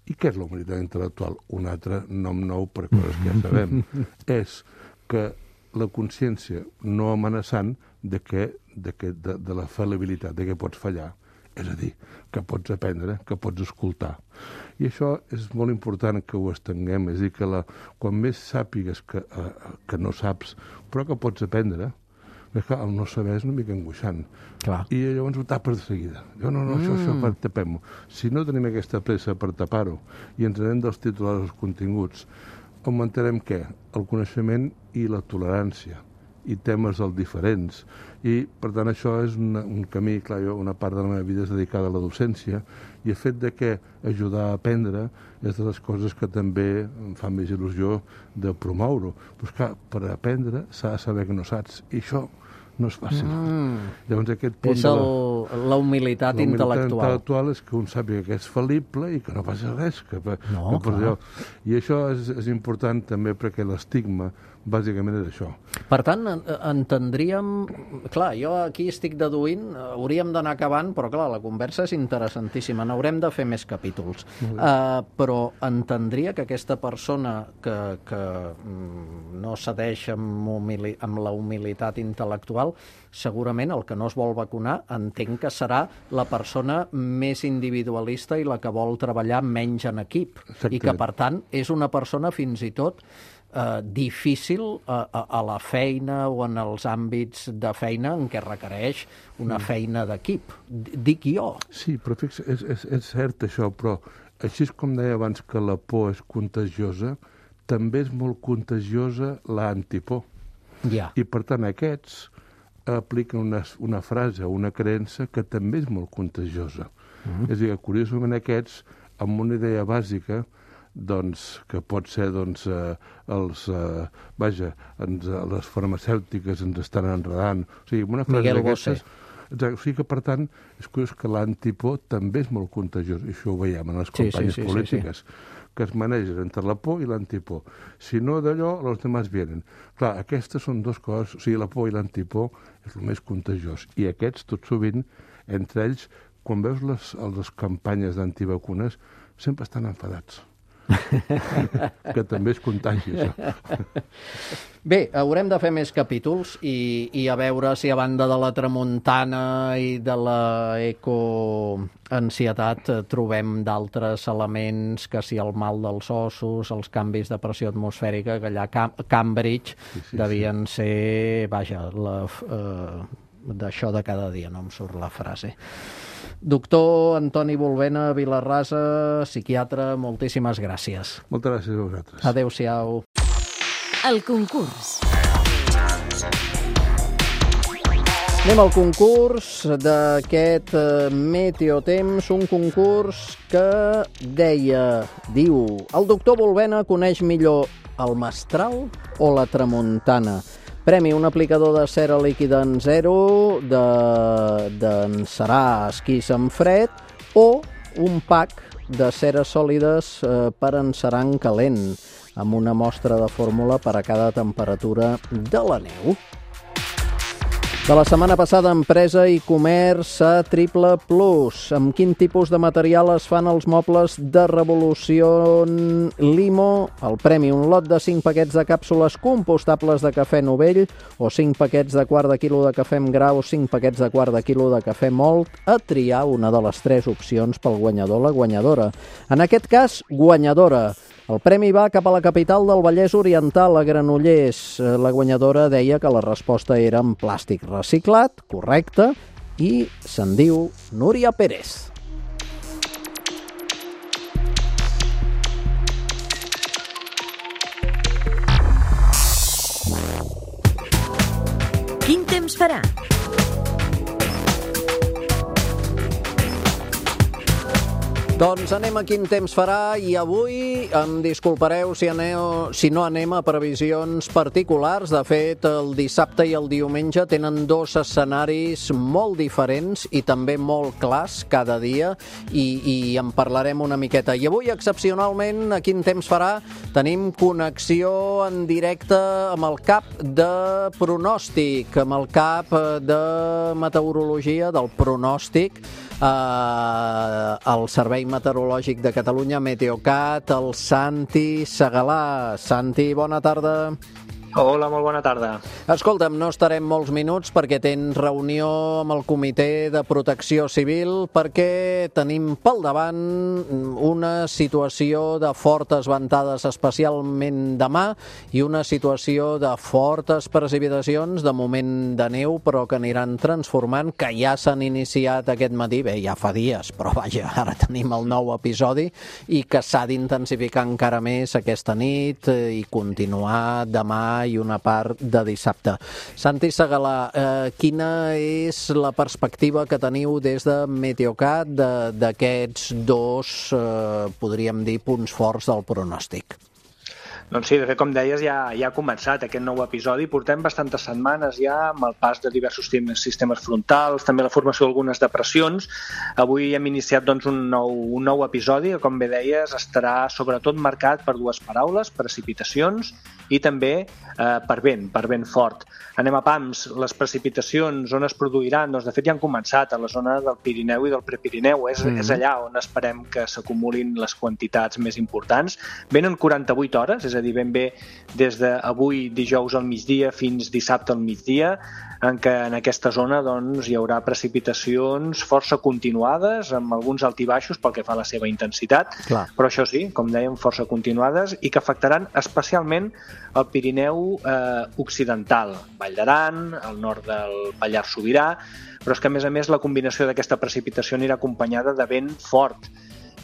I què és la humilitat intel·lectual? Un altre nom nou per coses que ja sabem. És que la consciència no amenaçant de la fal·libilitat, de que pots fallar. És a dir, que pots aprendre, que pots escoltar. I això és molt important que ho estenguem. És a dir, que quan més sàpigues que no saps, però que pots aprendre, Perquè el no saber és una mica angoixant. Clar. I llavors ho tapes de seguida. Jo, no, això tapem-ho. Si no tenim aquesta pressa per tapar-ho i ens anem dels titulars als continguts, augmentarem què? El coneixement i la tolerància i temes dels diferents. I, per tant, això és un camí, clar, una part de la meva vida és dedicada a la docència, i el fet de que ajudar a aprendre és de les coses que també em fa més il·lusió de promoure-ho. Però, clar, per aprendre s'ha de saber que no saps, i això no és fàcil. Llavors, aquest punt és la humilitat intel·lectual. La intel·lectual és que un sàpiga que és fal·lible i que no passa res. I això és important també perquè l'estigma bàsicament és això. Per tant, entendríem... Clar, jo aquí estic deduint, hauríem d'anar acabant, però clar, la conversa és interessantíssima, n'haurem de fer més capítols. Però entendria que aquesta persona que no cedeix amb la humilitat intel·lectual, segurament el que no es vol vacunar entenc que serà la persona més individualista i la que vol treballar menys en equip. Exactament. I que, per tant, és una persona fins i tot difícil a la feina o en els àmbits de feina en què requereix una feina d'equip. Dic jo. Sí, però fixa, és cert això, però així com deia abans que la por és contagiosa, també és molt contagiosa l'antipor. Ja. I per tant aquests apliquen una frase o una creença que també és molt contagiosa. És a dir, curiosament aquests, amb una idea bàsica, doncs, que pot ser les farmacèutiques ens estan enredant. O sigui, una frase d'aquestes... O sigui que, per tant, és curiós que l'antipor també és molt contagiós. I això ho veiem en les campanyes polítiques, que es manegen entre la por i l'antipor. Si no d'allò, els demás vienen. Clar, aquestes són dues coses, o sigui, la por i l'antipor és el més contagiós. I aquests, tot sovint, entre ells, quan veus les campanyes d'antivacunes, sempre estan enfadats. Que també és contagi, això. Bé, haurem de fer més capítols i a veure si a banda de la tramuntana i de la ecoansietat trobem d'altres elements, que si el mal dels ossos, els canvis de pressió atmosfèrica, que allà a Cambridge devien ser, d'això de cada dia, no em surt la frase. Doctor Antoni Bolbena Vilarrasa, psiquiatre, moltíssimes gràcies. Moltes gràcies a vosaltres. Adéu-siau. El concurs. Anem al concurs d'aquest Meteotemps, un concurs que diu, el doctor Bolbena coneix millor el mestral o la tramuntana? Premi, un aplicador de cera líquida en zero, d'encerar esquís en fred, o un pack de ceres sòlides per encerar en calent, amb una mostra de fórmula per a cada temperatura de la neu. De la setmana passada, Empresa i Comerç a Triple Plus. Amb quin tipus de material es fan els mobles de Revolució Limo? El premi, un lot de 5 paquets de càpsules compostables de cafè Novell o 5 paquets de quart de quilo de cafè amb gra o 5 paquets de quart de quilo de cafè mòlt, a triar una de les 3 opcions pel guanyador o la guanyadora. En aquest cas, guanyadora. El premi va cap a la capital del Vallès Oriental, a Granollers. La guanyadora deia que la resposta era en plàstic reciclat, correcte, i se'n diu Núria Pérez. Quin temps farà? Doncs anem a quin temps farà i avui em disculpareu si no anem a previsions particulars. De fet, el dissabte i el diumenge tenen 2 escenaris molt diferents i també molt clars cada dia i en parlarem una miqueta. I avui, excepcionalment, a quin temps farà, tenim connexió en directe amb el cap de pronòstic, amb el cap de meteorologia, del pronòstic, el Servei Meteorològic de Catalunya, Meteocat, el Santi Segalà. Santi, bona tarda. Hola, molt bona tarda. Escolta'm, no estarem molts minuts perquè tens reunió amb el Comitè de Protecció Civil perquè tenim pel davant una situació de fortes ventades, especialment demà, i una situació de fortes precipitacions, de moment de neu, però que aniran transformant, que ja s'han iniciat aquest matí, bé, ja fa dies, però vaja, ara tenim el nou episodi, i que s'ha d'intensificar encara més aquesta nit i continuar demà i una part de dissabte. Santi Segalà, quina és la perspectiva que teniu des de Meteocat d'aquests dos, podríem dir, punts forts del pronòstic? Doncs sí, de fet, com deies, ja ha començat aquest nou episodi. Portem bastantes setmanes ja amb el pas de diversos sistemes frontals, també la formació d'algunes depressions. Avui hem iniciat doncs, un nou episodi que, com bé deies, estarà sobretot marcat per dues paraules, precipitacions i també per vent fort. Anem a pams, les precipitacions on es produiran, doncs de fet ja han començat a la zona del Pirineu i del Prepirineu, és allà on esperem que s'acumulin les quantitats més importants. Venen 48 hores, és a dir, ben bé des d'avui dijous al migdia fins dissabte al migdia, en què en aquesta zona doncs, hi haurà precipitacions força continuades, amb alguns altibaixos pel que fa a la seva intensitat, però això sí, com dèiem, força continuades i que afectaran especialment el Pirineu occidental, Vall d'Aran, el nord del Pallars Sobirà, però és que a més la combinació d'aquesta precipitació anirà acompanyada de vent fort.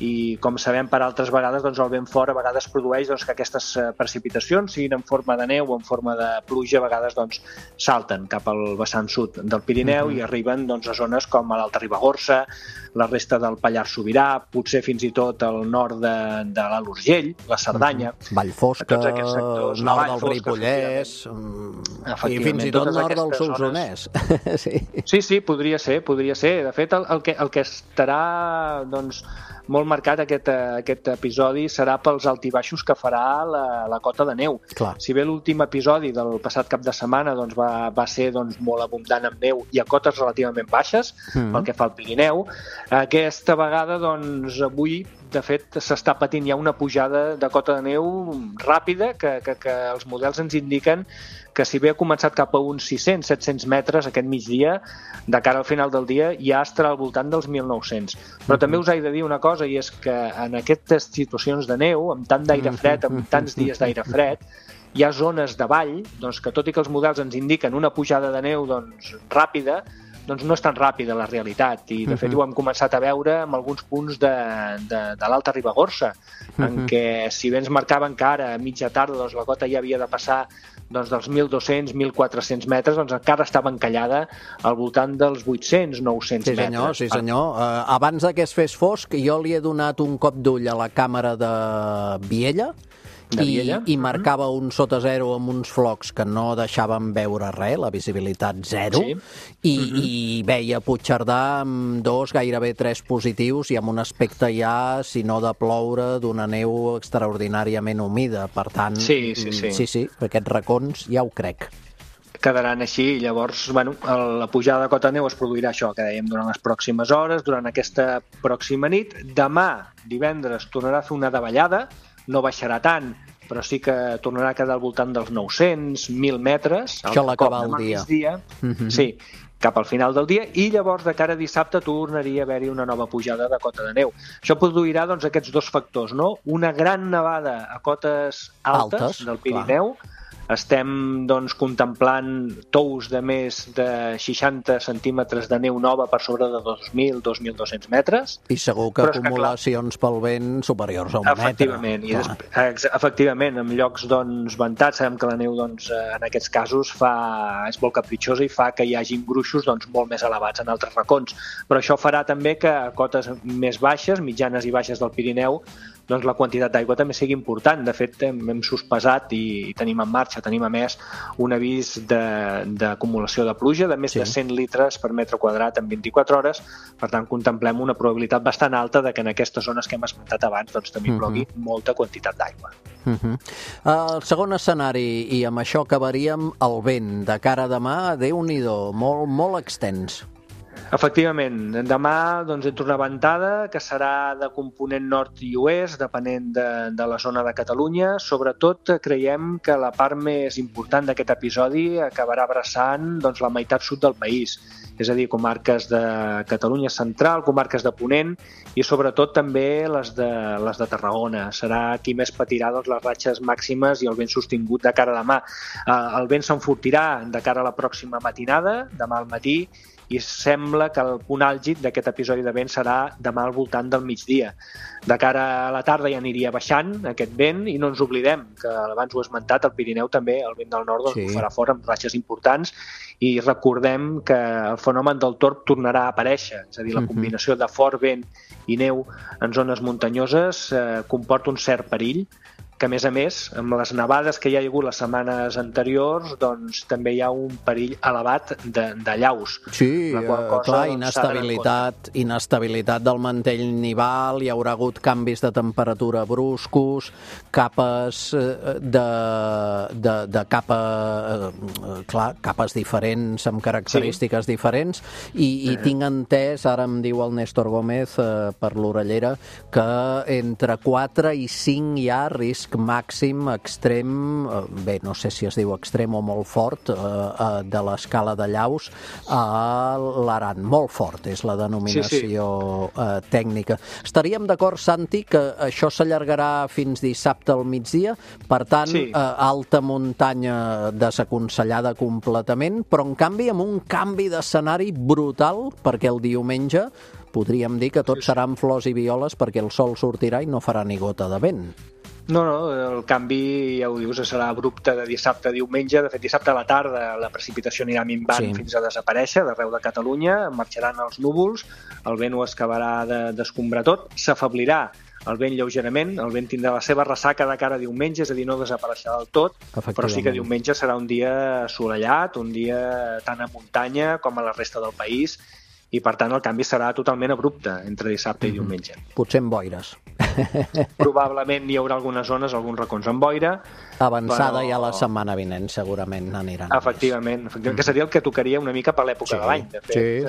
I com sabem per altres vegades, doncs el vent fort a vegades produeix que aquestes precipitacions, siguin en forma de neu o en forma de pluja, a vegades salten cap al vessant sud del Pirineu i arriben a zones com a l'Alta Ribagorça, la resta del Pallars Sobirà, potser fins i tot al nord de l'Alt Urgell, la Cerdanya, Vallfosca, sectors, nord del Ripollès i fins i tot nord del Solsonès. Sí, podria ser. De fet, el que estarà molt marcat aquest episodi serà pels altibaixos que farà la cota de neu. Si bé l'últim episodi del passat cap de setmana va ser molt abundant en neu i a cotes relativament baixes pel que fa al Pirineu, aquesta vegada avui de fet s'està patint ja una pujada de cota de neu ràpida que els models ens indiquen que si bé ha començat cap a uns 600-700 metres aquest migdia, de cara al final del dia ja estarà al voltant dels 1.900. Però també us he de dir una cosa, i és que en aquestes situacions de neu, amb tant d'aire fred, amb tants dies d'aire fred, hi ha zones de vall que tot i que els models ens indiquen una pujada de neu ràpida, no és tan ràpida la realitat, i de fet ho hem començat a veure en alguns punts de l'Alta Ribagorça, en què si bé ens marcaven que ara a mitja tarda la cota ja havia de passar dels 1.200-1.400 metres, encara estava encallada al voltant dels 800-900 metres. Sí senyor. Abans que es fes fosc, jo li he donat un cop d'ull a la càmera de Viella, i marcava un sota zero amb uns flocs que no deixaven veure res, la visibilitat zero, i veia Puigcerdà amb 2, gairebé 3 positius i amb un aspecte ja, si no de ploure, d'una neu extraordinàriament humida. Per tant, sí, aquests racons ja ho crec. Quedaran així, i llavors la pujada de cota de neu es produirà això que dèiem durant les pròximes hores, durant aquesta pròxima nit. Demà, divendres, tornarà a fer una davallada, no baixarà tant, però sí que tornarà a quedar al voltant dels 900, 1.000 metres. Això a l'acabar el dia. Sí, cap al final del dia, i llavors de cara a dissabte tornaria a haver-hi una nova pujada de cota de neu. Això produirà aquests dos factors, no? Una gran nevada a cotes altes del Pirineu. Estem contemplant tous de més de 60 centímetres de neu nova per sobre de 2.000-2.200 metres. I segur que acumulacions pel vent superiors a un metre. Efectivament, en llocs ventats, sabem que la neu en aquests casos és molt capritxosa i fa que hi hagin gruixos molt més elevats en altres racons. Però això farà també que a cotes més baixes, mitjanes i baixes del Pirineu, la quantitat d'aigua també sigui important. De fet, hem sospesat i tenim en marxa, tenim a més un avís d'acumulació de pluja de més de 100 litres per metre quadrat en 24 hores. Per tant, contemplem una probabilitat bastant alta de que en aquestes zones que hem esmentat abans també plogui molta quantitat d'aigua. El segon escenari, i amb això acabaríem, el vent de cara a demà, Déu-n'hi-do, molt extens. Efectivament, demà doncs, entra una ventada que serà de component nord i oest, depenent de la zona de Catalunya. Sobretot creiem que la part més important d'aquest episodi acabarà abraçant doncs, la meitat sud del país, és a dir, comarques de Catalunya central, comarques de Ponent i sobretot també les de Tarragona. Serà qui més patirà doncs, les ratxes màximes i el vent sostingut de cara a demà. El vent s'enfortirà de cara a la pròxima matinada, demà al matí, i sembla que el punt àlgid d'aquest episodi de vent serà demà al voltant del migdia. De cara a la tarda ja aniria baixant aquest vent i no ens oblidem que abans ho he esmentat, al Pirineu també el vent del nord ho farà fort amb ratxes importants i recordem que el fenomen del torb tornarà a aparèixer, és a dir, la combinació de fort vent i neu en zones muntanyoses comporta un cert perill, que a més, amb les nevades que hi ha hagut les setmanes anteriors, doncs també hi ha un perill elevat d'allaus. Sí, clar, inestabilitat del mantell nival, hi haurà hagut canvis de temperatura bruscos, capes capes diferents, amb característiques diferents, i tinc entès, ara em diu el Néstor Gómez per l'orellera, que entre 4 i 5 hi ha risc màxim, extrem, bé, no sé si es diu extrem o molt fort, de l'escala d'allaus a l'Aran. Molt fort és la denominació tècnica. Estaríem d'acord, Santi, que això s'allargarà fins dissabte al migdia, per tant, alta muntanya desaconsellada completament, però en canvi amb un canvi d'escenari brutal, perquè el diumenge podríem dir que tot seran flors i violes perquè el sol sortirà i no farà ni gota de vent. No, el canvi, ja ho dius, serà abrupte de dissabte a diumenge. De fet, dissabte a la tarda la precipitació anirà minvant fins a desaparèixer d'arreu de Catalunya, marxaran els núvols, el vent ho acabarà d'escombrar tot, s'afeblirà el vent lleugerament, el vent tindrà la seva ressaca de cara a diumenge, és a dir, no desapareixerà del tot, però sí que diumenge serà un dia assolellat, un dia tant a muntanya com a la resta del país, i per tant el canvi serà totalment abrupte entre dissabte i diumenge. Potser amb boires. Probablement hi haurà algunes zones, alguns racons amb boira. Avançada ja la setmana vinent, segurament aniran. Efectivament, que seria el que tocaria una mica per l'època de l'any. De fet,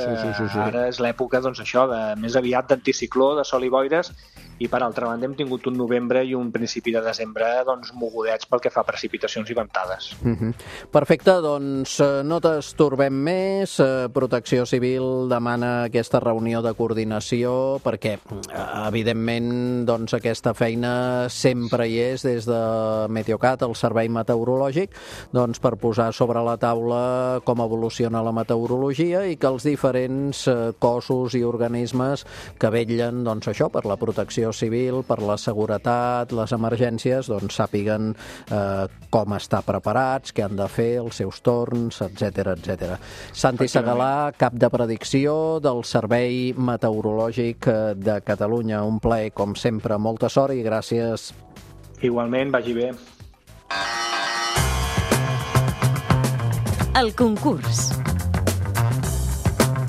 ara és l'època, doncs, això, més aviat d'anticicló, de sol i boires, i per altra banda hem tingut un novembre i un principi de desembre doncs, mogudets pel que fa a precipitacions i ventades. Perfecte, doncs no t'estorbem més. Protecció Civil demana aquesta reunió de coordinació perquè, evidentment, doncs, aquesta feina sempre hi és des de Meteocat, el servei meteorològic, doncs, per posar sobre la taula com evoluciona la meteorologia i que els diferents cossos i organismes que vetllen, doncs, això, per la protecció civil, per la seguretat, les emergències, doncs sàpiguen com estar preparats, què han de fer, els seus torns, etc. Santi Segalà, cap de predicció del Servei Meteorològic de Catalunya. Un plaer, com sempre, molta sort i gràcies. Igualment, vagi bé. El concurs.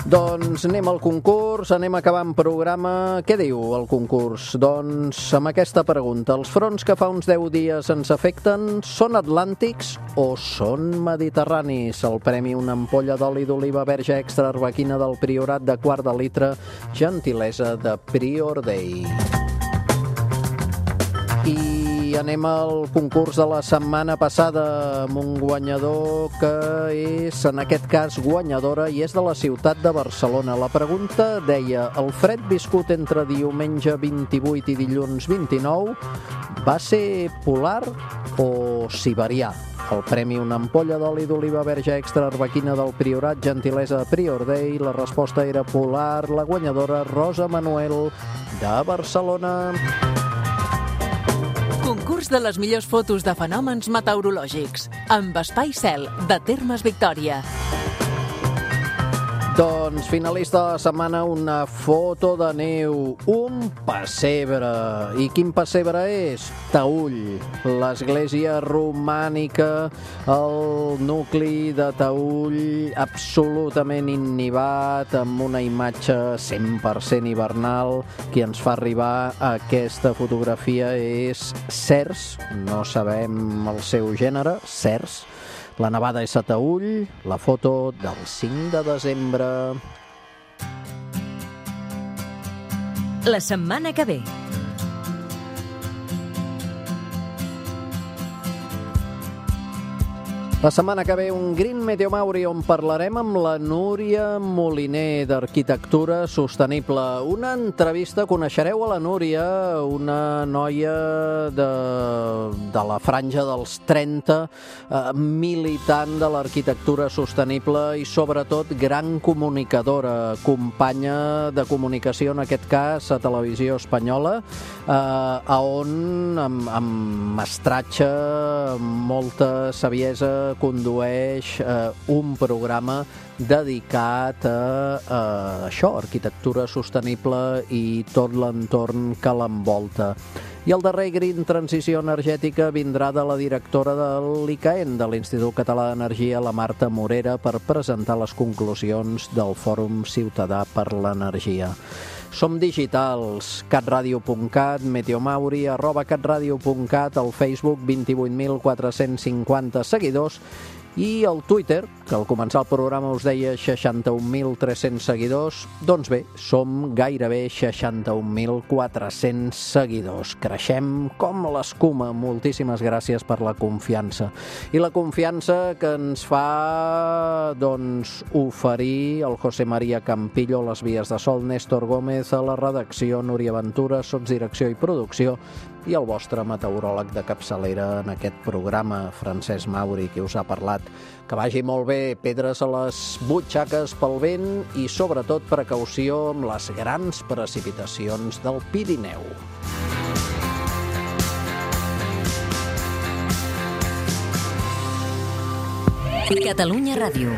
Doncs anem al concurs, anem acabant programa. Què diu el concurs? Doncs amb aquesta pregunta. Els fronts que fa uns 10 dies ens afecten són atlàntics o són mediterranis? El premi una ampolla d'oli d'oliva verge extra arbequina del Priorat de quart de litre, gentilesa de Prior Day. I anem al concurs de la setmana passada amb un guanyador que és, en aquest cas, guanyadora i és de la ciutat de Barcelona. La pregunta deia: el fred viscut entre diumenge 28 i dilluns 29 va ser polar o siberià? El premi una ampolla d'oli d'oliva verge extra arbequina del Priorat, gentilesa de Prior Day. La resposta era polar. La guanyadora, Rosa Manuel, de Barcelona. Concurs de les millors fotos de fenòmens meteorològics amb Espai Cel, de Termes Victòria. Doncs finalista de la setmana, una foto de neu, un pessebre. I quin pessebre és? Taüll, l'església romànica, el nucli de Taüll absolutament innivat, amb una imatge 100% hivernal. Qui ens fa arribar aquesta fotografia és Cers, no sabem el seu gènere, Cers. La nevada és a Taüll, la foto del 5 de desembre. la setmana que ve. La setmana que ve un Green Meteo Mauri on parlarem amb la Núria Moliner d'Arquitectura Sostenible. Una entrevista, coneixereu a la Núria, una noia de la franja dels 30, militant de l'arquitectura sostenible i sobretot gran comunicadora, companya de comunicació, en aquest cas a Televisió Espanyola, on amb mestratge, molta saviesa, condueix un programa dedicat a això, arquitectura sostenible i tot l'entorn que l'envolta. I el darrer Green Transició Energètica vindrà de la directora de l'ICAEN, de l'Institut Català d'Energia, la Marta Morera, per presentar les conclusions del Fòrum Ciutadà per l'Energia. Som digitals, catradio.cat, Meteomauri, @catradio.cat, al Facebook 28.450 seguidors i el Twitter, que al començar el programa us deia 61.300 seguidors, doncs bé, som gairebé 61.400 seguidors. Creixem com l'escuma. Moltíssimes gràcies per la confiança. I la confiança que ens fa, doncs, oferir el José María Campillo, les vies de sol, Néstor Gómez a la redacció, Núria Ventura, sotsdirecció i producció, i el vostre meteoròleg de capçalera en aquest programa, Francesc Mauri, qui us ha parlat. Que vagi molt bé, pedres a les butxaques pel vent i, sobretot, precaució amb les grans precipitacions del Pirineu. Catalunya Ràdio.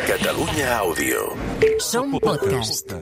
Catalunya Àudio. Som podcast.